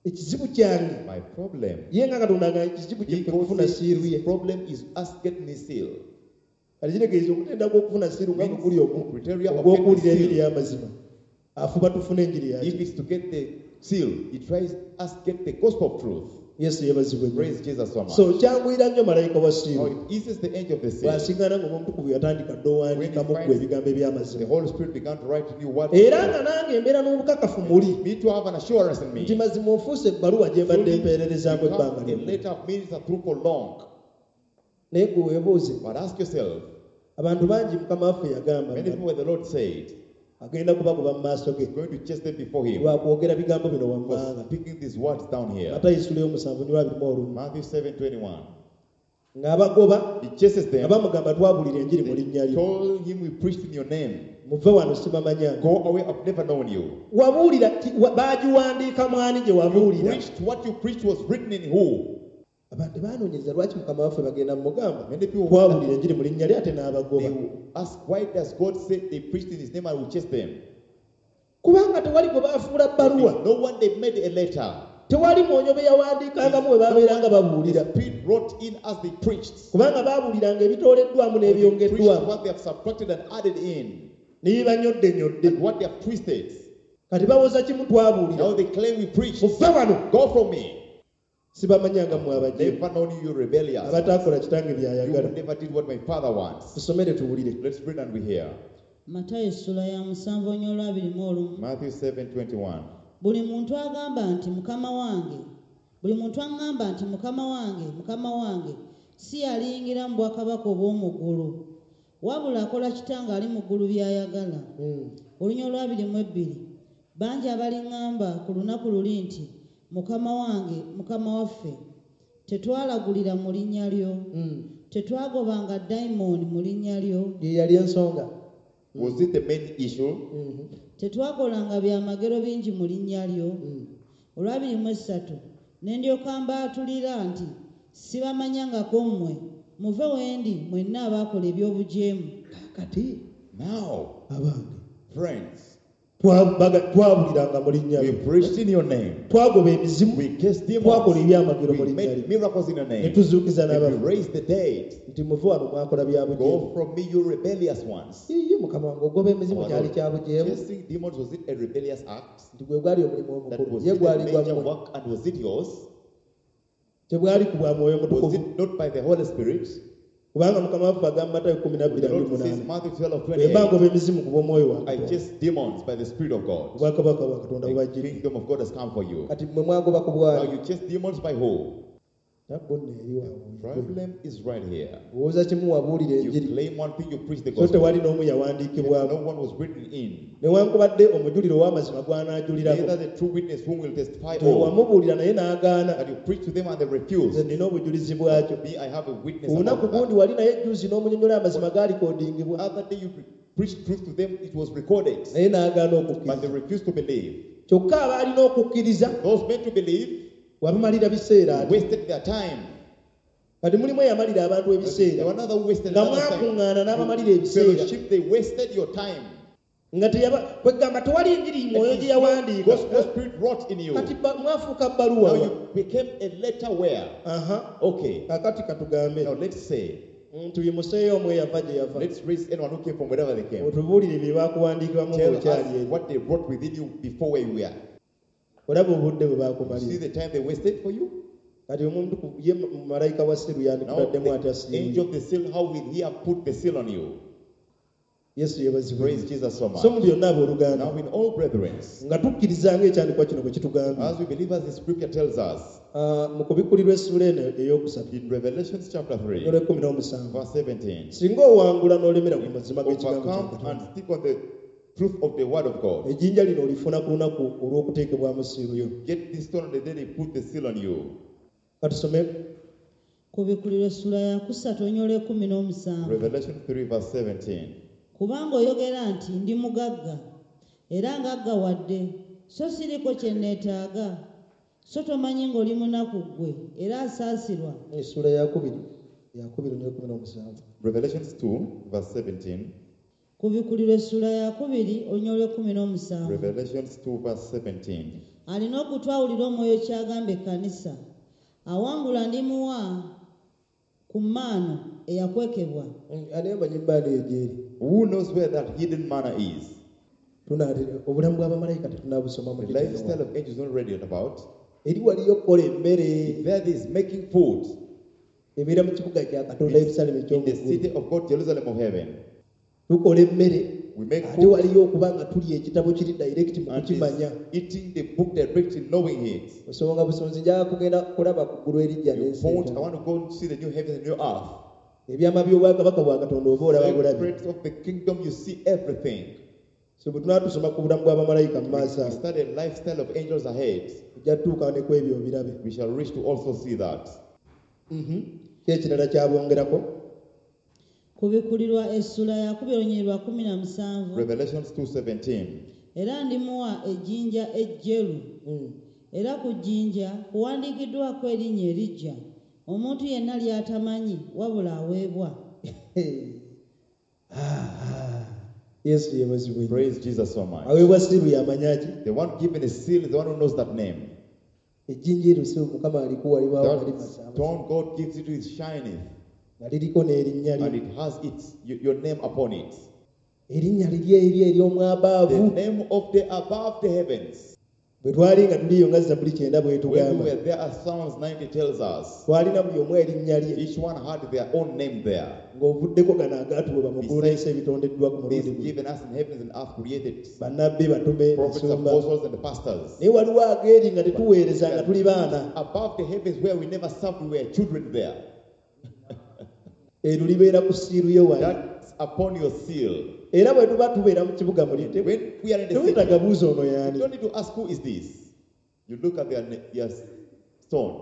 Ekizibu kyange My problem. ye nga Katonda nga ekizibu kye He kwe God kufuna says siiru ye. his problem is us getting a seal. Kati kitegeeza okutenda kw'okufuna siiru nga bwe guli Criteria of ogw'okuwulira getting enjiri seal. y'amazima. Afuba tufune enjiri If yaki. it's to get the seal. He tries us get the gospel of truth. Yesu yeebazibwe nnyo. Praise Jesus so much. So kyanguyira nnyo malayika wa Now siiru it eases the angel of the seal. bw'asiŋŋaana ng'omutukuvu yatandika dda owandiikamu When he ggwe finds ebigambo The eby'amazima Holy Spirit began to write new words. Era nga nange embeera n'obukakafu muli Me to have an assurance in me. Nti mazima ofuuse ebbaluwa gye mbadde Truly, mpeererezaamu become ebbanga a lyonna letter of minister through for long. Naye gwe weebuuze But ask yourself, abantu bangi mukama waffe yagamba many people the Lord said, agenda kubagoba mu maaso ge he's going to chase them before him lwakwogera bigambo bino for wammanga speaking these words down here. Matayo essula y'omusanvu nywa abiri mu olumu Matthew 7:21. Ng'abagoba He chases nga them. bamugamba twabulira enjiri mu linnya They lyo told him we preached in your name. Muve wano sibamanyanga Go away, I've never known you. Wabuulira ki- wa- baagiwandiika mwani gye You wabuulira preached what you preached was written in who? Abantu tebaanoonyereza lwaki mukama waffe bagenda mumugamba Many people twabulira enjiri mu linnya lye ate n'abagoba They will ask, why does God say they preached in his name and will chase them? Kubanga tewali gwe baafuula bbaluwa No one they made a letter. Tewali mwonyo be yawandiikangamu bwe baabeeranga babuulira The Spirit wrote in as they preached. Kubanga baabuuliranga ebitooleddwamu They preached n'ebyongeddwamu what they have subtracted and added in, Ne bibanyoddenyodde and what they have twisted. Kati bawoza kimu twabuulira Now they claim we preached. Muve wano Go from me. Sibamanyanga mmwe abajeemu Never known you, you rebellious. Abataakola kitange You by'ayagala never did what my father wants. Tusomere tuwulire Let's read and we hear. Matayo essula ya musanvu onyo abiri mu olumu Matthew 7:21. Buli muntu agamba nti mukama wange buli muntu aŋŋamba nti mukama wange mukama wange si yaliyingira mu bwakabaka obw'omu ggulu wabula akola kitange ali mu ggulu by'ayagala. Olunya olwabiri mu ebbiri bangi abaliŋŋamba ku lunaku luli nti mukama wange mukama waffe tetwalagulira mu linnya lyo tetwagobanga dayimooni mu linnya lyo Ye yali ensonga Was it the main issue? Tetwakolanga byamagero bingi mu linnya lyo olwabiri mu esatu ne ndyoka mbaatulira nti sibamanyangako mmwe muve wendi mwenna abaakola eby'obujeemu Kati Now, abange friends, twabuliranga mu linnya we lyo preached in your name. Twagoba emizimu We cast twakola demons. ebyamagero mu We linnya made lyo miracles in your ne name. tuzuukiza And we n'abafu raised the dead. Nti muve wano mwakola bya bujeemu Go from me, you rebellious ones. Iye mukama wange ogoba emizimu Our kyali Lord, kya bujeemu chasing demons, was it a rebellious act? Nti gwe gwali omulimu That omukulu was ye it a gwali major gwammwe work and was it yours? Tebwali ku bwa mwoyo Was mutukuvu it not by the Holy Spirit? Kubanga mukama waffe agamba Matayo kumi na bbiri The abiri Lord says, munaana Matthew 12 bwe mba 28, ngoba emizimu ku bw'omwoyo wa I Katonda chase demons by the Spirit of God. Obwakabaka bwa Katonda The bubajjidde kingdom of God has come for you. Kati mmwe mwagoba ku Now bwali you chase demons by who? Nabbo nno eri waabwe Problem is right here. Owooza kimu wabuulira You enjiri claim one thing, you preach the so gospel. tewali n'omu yawandiikibwamu No one was written in. Newankubadde omujuliro ow'amazima gw'anaajulirako Neither the true witness whom will testify Nti all wamubuulira naye n'agaana that you preach to them and they nze refuse. nina obujulizi bwakyo Me, I have a witness olunaku about gundi that. wali naye juzi n'omunyonyola amazima gaalikodingibwa Other day you preached truth to them, it was recorded, naye n'agaana but okukkiriza they refused to believe. Kyokka abaalina okukkiriza Those meant to believe wabamalira biseera ate wasted their time. Kati mulimu eyamalira abantu There ebiseera were another who wasted nga another mwakuŋŋaana time. n'abamalira ebiseera Fellowship, they wasted your time. Nga teyaba kwegamba tewali njiri mwoyo gye yawandiika Gospel spirit wrought in you. Kati ba- mwafuuka bbaluwa Now you became a letter where? Aha Okay. kakati katugambe Now let's say, tuyimuseeyo omu eyava gye yava let's raise anyone who came from wherever they came. Otubuulire bye baakuwandiikiramu Tell ng'okyali us eri what they wrote within you before where you were. Olaba obudde bwe See baakumalira the time they wasted for you? Kati omuntu ku- ye malayika wa siru Now yandikutaddemu atya the siiru angel of the seal, how will he have put the seal on you? Yesu yeebazibwe Praise Jesus so So much. mu byonna abooluganda Now in all brethren, nga tukkiriza ng'ekyandikwa kino bwe kitugambye as we believe as the scripture tells us, Ah, mu kubikkulirwa essuula eno eyokusatu in Revelations chapter 3, olw'ekkumi n'omusanvu verse 17, singa owangula n'olemera ku mazima g'ekigambo kya overcome Katonda and stick on the truth of the word of God. Ejjinja lino olifuna ku lunaku olw'okuteekebwamu siiru yo Get this stone on the day they put the seal on you. Katusome Kubikulirwa essula ya kusatu onyola ekkumi n'omusanvu Revelation 3, verse 17. Kubanga oyogera nti ndi mugagga era ngaggawadde so siriko kye neetaaga so tomanyi ng'oli munaku ggwe era asaasirwa Essuula yakubiri yakubiri n'ekumi n'omusanvu Revelations 2, verse 17. Kubikulirwa essula ya kubiri onyola ekkumi n'omusanvu Revelations 2, verse 17. Alina okutwawulira omwoyo ky'agamba ekkanisa awangula ndimuwa ku maano eyakwekebwa Ani amanyi maani eyo gyeri Who knows where that hidden manna is? Tunaatera obulamu bw'abamalayika tetunabusoma mu The detail. lifestyle of angels not read about. Eri waliyo okukola emmere There is making food ebeera mu kibuga kya Katonda Yerusaalemi in the eky'omu ggulu. city of God, Jerusalem of heaven. Tukola emmere We make ate food waliyo okuba nga tulya ekitabo kiri direct mu and kukimanya. is eating the book directly, knowing it. Osonga busonzi njagala kugenda kulaba ku ggulu erijja You n'ensi point, I empya. want to go and see the new heavens and new earth. Ebyama by'obwakabaka bwa Katonda oba olaba bulabi. Secrets of the kingdom, you see everything. So bwe tunaba tusoma ku bulamu bw'abamalayika mu maaso We ago, study lifestyle of angels ahead. tujja tutuuka ne ku ebyo obirabe. We shall reach to also see that. Ki ekirala kyabongerako? Kubikulirwa essula ya 2:17. Revelations 2:17. Era ndimuwa ejjinja ejjeru. Era ku jjinja kuwandiikiddwako erinnya eriggya, omuntu yenna ly'atamanyi wabula aweebwa. Yesu yeebazibwe nnyo. Praise Jesus so much. Aweebwa siiru y'amanya ki? The one given a seal is the one who knows that name. Ejjinja eryo si Mukama alikuwa libaawo nga That limasaamasa. stone God gives it to is shining, Nga liriko n'erinnya and lye. it has its your name upon it. Erinnya liri eri ery'omwabaavu. The name of the above the heavens. Bwe twali nga tuliyo nga Zabbuli 90 When we bw'etugamba. were there, as Psalms 90 tells us, Twalina buli omu erinnya lye. each one had their own name there. Ng'ovuddeko gano agaatuweebwa mu ggulu n'ensi ebitondeddwa ku This mulundi guno. given us in heavens and earth created Bannabbi, batume, prophets, ensumba. apostles, and the pastors. Naye waliwo ageeri nga tetuweereza nga tuli baana. Above the heavens where we never served, we were children there. Eryo libeera ku siiru yo wali. That's upon your seal. Era bwe tuba tubeera mu kibuga muli, When we are in the city, teweetaaga buuza ono you y'ani. don't need to ask who is this. You look at their stone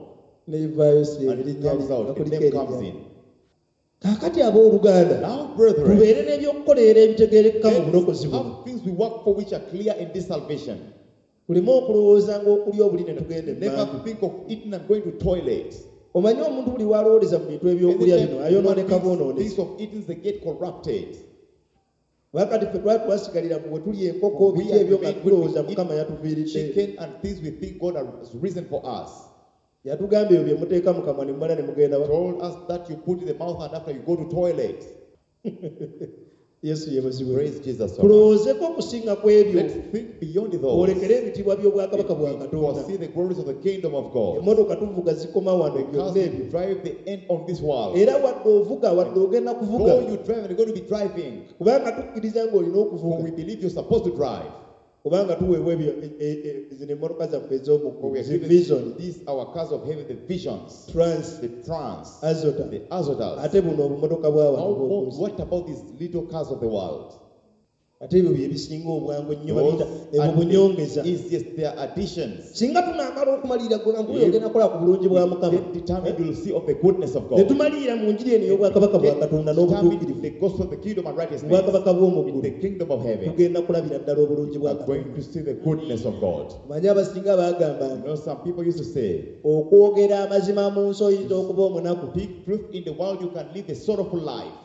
N'evaayo si and it erinnya comes lye, out, nga the kuliko name erinnya comes lye. in. Kaakati abooluganda, Now, brethren, tubeere n'ebyokukolerera ebitegeerekeka mu bulokozi let's buno. have things we work for which are clear in this salvation. Tuleme okulowooza ng'okulya obuli ne tugenda Never emmanju. think of eating and going to toilet. Omanyi omuntu buli w'alowooleza mu bintu ebyokulya Anytime bino you ayonooneka want bwonoonesi. things of eating, they get corrupted. Kubanga ffe twali twasigalira mu bwe tulya enkoko We biki are ebyo nga made tulowooza when we Mukama eat yatuviiridde. chicken and things we think God has risen for us. Yatugamba ebyo bye muteeka mu kamwa ne mumala ne mugenda wa. Told us that you put in the mouth and after you go to toilet. Yesu yeebazibwe. Praise Jesus so much. Tulowoozeeko okusinga ku ebyo. Let's think beyond those. Olekere ebitiibwa by'obwakabaka bwa Katonda. See the glories of the kingdom of God. Emmotoka tuvuga zikoma wano The byonna cars ebyo. we drive the end on this world. Era wadde ovuga wadde ogenda kuvuga. Though you drive and you're going to be driving, Kubanga tukkiriza ng'olina for okuvuga. we believe you're supposed to drive. Kubanga tuweebwa ebyo zino emmotoka zaffe ez'omu For we ggulu, are zi given Vision, these our cars of heaven, the visions, Trans, the trans, Azota. the Azotas. Ate buno obumotoka bwa wano How more, bw'oku nsi. what about these little cars of the world? Ate ebyo bye bisinga obwangu ennyo Those babiyita ebwo are bunyongeza. the easiest, they are additions. Singa tunaamala okumalirira gwe nga nkubira ogenda kukola ku bulungi bwa Mukama. Get determined, you'll see of the goodness of Ne God. tumalirira mu njiri eno ey'obwakabaka bwa Get Katonda determined n'obutuukirivu. the gospel of the kingdom and righteousness. Obwakabaka bw'omu In ggulu. the kingdom of heaven. Tugenda kulabira ddala obulungi bwa Are going Katonda. to see the goodness of God. Omanyi abasinga baagamba You nti know, some people used to say, okwogera amazima mu nsi oyinza okuba omunaku. speak truth in the world, you can live a sorrowful life.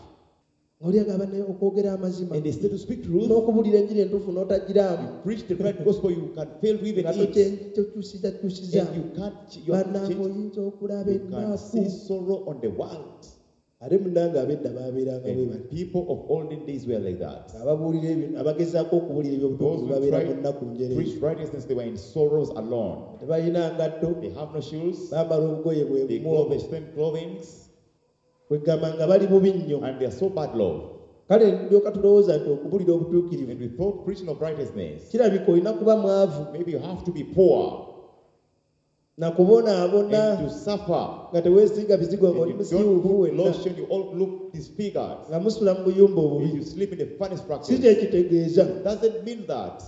Oli agamba naye okwogera amazima And instead to speak truth, n'okubuulira enjiri entuufu n'otagiraamu. you preach the right gospel, you can fail to even Nga eat. tokyusiza kyusiza. And you can't, you, have Bannange changed. oyinza okulaba You can see ennaku. sorrow on the world. Ate munnange ab'edda baabeeranga bwe And bati. people of olden days were like that. Ababuulira ebyo abagezaako okubuulira Those eby'obutuukirivu who babeera mu tried nnaku to njereere. preach righteousness, they were in sorrows alone. Tebalina ngatto, They have no shoes, bambala obugoye bwe they bumu clothe obwo. the same clothing, Kwegamba nga bali bubi nnyo. and they are so bad love. Kale ndyoka tulowooza nti okubuulira obutuukirivu And we thought preaching of righteousness, kirabika olina kuba mwavu maybe you have to be poor na kubonaabona and to suffer. nga teweesiiga bizigo And ng'oli you don't musiiwuufu put wenna lotion, you all look disfigured. nga musula mu buyumba If obubi. you sleep in the funny Si structures, kye kitegeeza. doesn't mean that.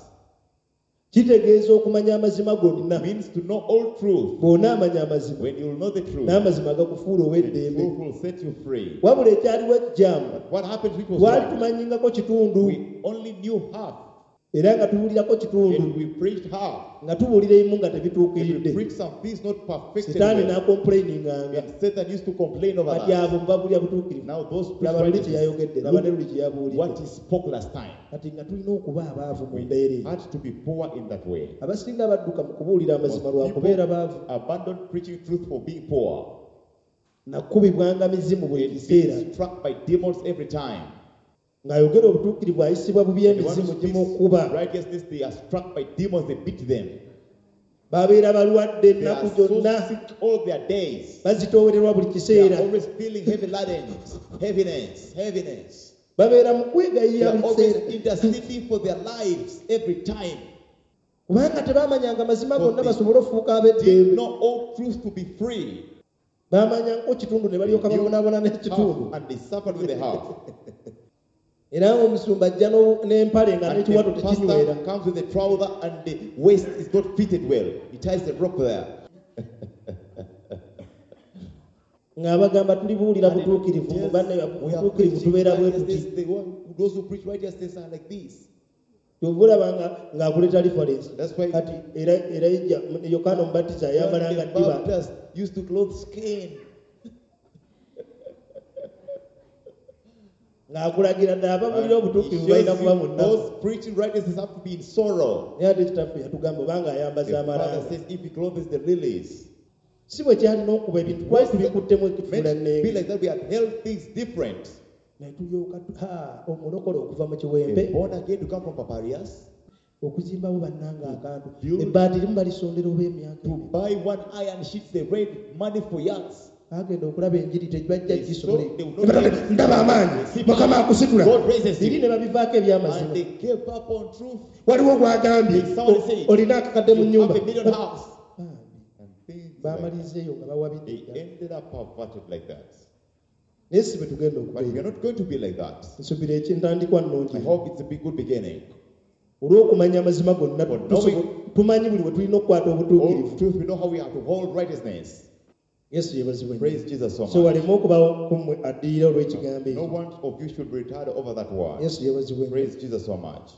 Kitegeeza okumanya amazima gonna. Means to know all truth. Bw'onaamanya amazima When you know the truth, n'amazima gakufuula the ow'eddembe. truth will set you free. Wabula ekyaliwo ekikyamu But what happened which was twali wrong, tumanyingako kitundu we only knew half era nga tubuulirako kitundu and we preached half. nga tubuulira ebimu nga And we tebituukiridde. preached some things not perfected. Sitaani well. n'akomplaininganga And Satan used to complain over kati that. abo mubabuulira butuukirivu. Now those preach Laba luli kye righteousness, yayogedde, laba ne luli kye yabuulidde. what he spoke last time. Kati nga tulina okuba abaavu mu We mbeera eyo. had to be poor in that way. Abasinga badduka mu kubuulira amazima Most lwa kubeera people baavu. abandoned preaching truth for being poor. Nakubibwanga mizimu buli And kiseera being struck by demons every time. Ng'ayogera obutuukirivu ayisibwa bubi The one who emizimu speaks gimukuba. righteousness, they are struck by demons, they beat them. Babeera balwadde They ennaku are so gyonna. sick all their days. Bazitoowererwa buli They kiseera. are always feeling heavy laden, heaviness, heaviness. Babeera mu They kwegayirira are buli always kiseera. interceding for their lives every time. Kubanga tebaamanyanga mazima gonna But they basobole okufuuka Did ab'eddembe. know all truth to be free. Baamanyangako kitundu ne balyoka They knew babonaabona n'ekitundu. half and they suffered with the half. Era ng'omusumba ajja n'empale nga And n'ekiwato the tekinywera. pastor comes with the trouser and the waist is not fitted well. He ties the rope there. Ng'abagamba tulibuulira And it butuukirivu mu tells banne we are butuukirivu preaching tubeera bwe tuti. righteousness. Those who preach righteousness are like this. Kyova olaba nga ng'akuleeta reference. That's why Kati era Erayijja Yokaana Omubatiza John ayambalanga the ddiba. Baptist used to clothe skin. Ng'akulagira ddala ababuulira And he obutuukirivu balina shows kuba you mu nnaku. those preaching righteousness have to be in sorrow. Naye ate kitaffe yatugamba obanga ayambaza The Father amalanga. says if he clothes the lilies, Si bwe kyalina okuba ebintu twali tubikuttemu meant to ekifuula be nnenge. like that. We have held things different. Naye tulyoka omulokole okuva mu kiwempe A born again to come from Paparias okuzimbawo bannanga akantu. Build- Ebbaati limu balisondera oba emyaka to ebiri. buy one iron sheet, they raised money for yachts. Bagenda okulaba enjiri tebajja They gisobola. saw they would not be- Ndaba amaanyi Mukama akusitula. God raises Biri you. ne babivaako ebyamazima. And they gave up on truth. Waliwo gw'agambye Someone said, olina akakadde mu You nnyumba. have a million house. Bambi, And things like that. baamalizeeyo nga bawabidde They ddala. ended up perverted like that. Naye si bwe tugenda But we are okubeera. not going to be like that. Nsuubira ekyentandikwa nnungi. I hope it's a big good beginning. Olw'okumanya amazima gonna For knowing- tumanyi buli we tulina okukwata obutuukirivu. All truth, we know how we have to hold righteousness. Yesu yeebazibwe nnyo. Praise Jesus so So much. waleme okubawo ku mmwe addirira olw'ekigambo No ekyo. one of you should be retired over that word. Yesu yeebazibwe nnyo. Praise Jesus so much.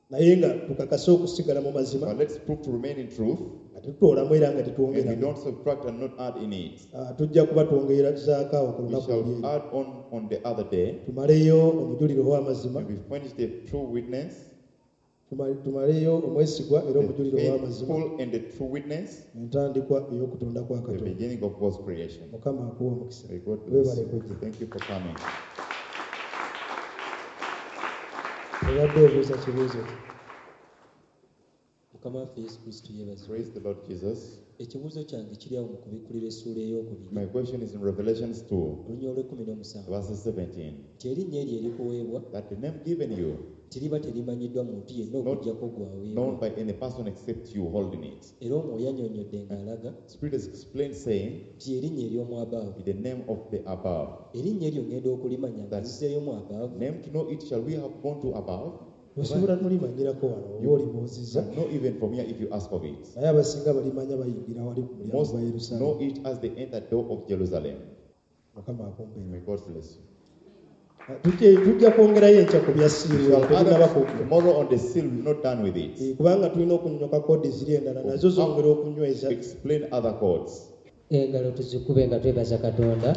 Naye nga tukakase okusigala mu mazima But let's prove to remain in truth nga tetutoolamu era nga and we tetwongeramu. don't subtract and not add in it. Ah, tujja kuba twongerezaako awo ku We lunaku shall olw'eyo. add on the other day Tumaleyo omujulirwa ow'amazima, and we finish the true witness, tumaleyo omwesigwa era the omujulirwa ow'amazima, faithful and the true witness, entandikwa ey'okutonda kwa the Katonda. beginning of God's creation. Mukama akuwe omukisa. May God bless Weebale you. kujja. Thank you for coming. Obadde obuuza kibuuzo ki? Mukama waffe Yesu Kristo yeebazibwe. Praise the Lord Jesus. Ekibuuzo kyange kiri awo mu kubikkulirwa essuula eyookubiri My question is in Revelations 2, olunya olw'ekkumi n'omusanvu verses 17. nti erinnya eryo erikuweebwa That the name given you, nti liba terimanyiddwa muntu yenna Not okuggyako gwe known aweebwa. by any person except you holding it. Era Omwoyo annyonnyodde ng'alaga Spirit has explained, saying, nti erinnya ery'omu abaavu. in the name of the above. Erinnya eryo ŋŋenda okulimanya nga That- nzizeeyo mu abaavu. Name to know it, shall we have gone to above? Osobola nolimanyirako wano oba olibuuzizza. And not even from here if you ask of it. Naye abasinga balimanya bayingira wali ku mulyango Most gwa Yerusaalemi. know it as they enter door of Jerusalem. Mukama akumpeere. May God bless you. Ah, tujja kwongerayo enkya ku bya We siiru shall add tetunnaba up kugwa. tomorrow on the seal, we're not done with it. Eh, kubanga tulina okunnyuka koodi ziri endala nazo zongera okunyweza. Explain other codes. Engalo tuzikube nga twebaza Katonda.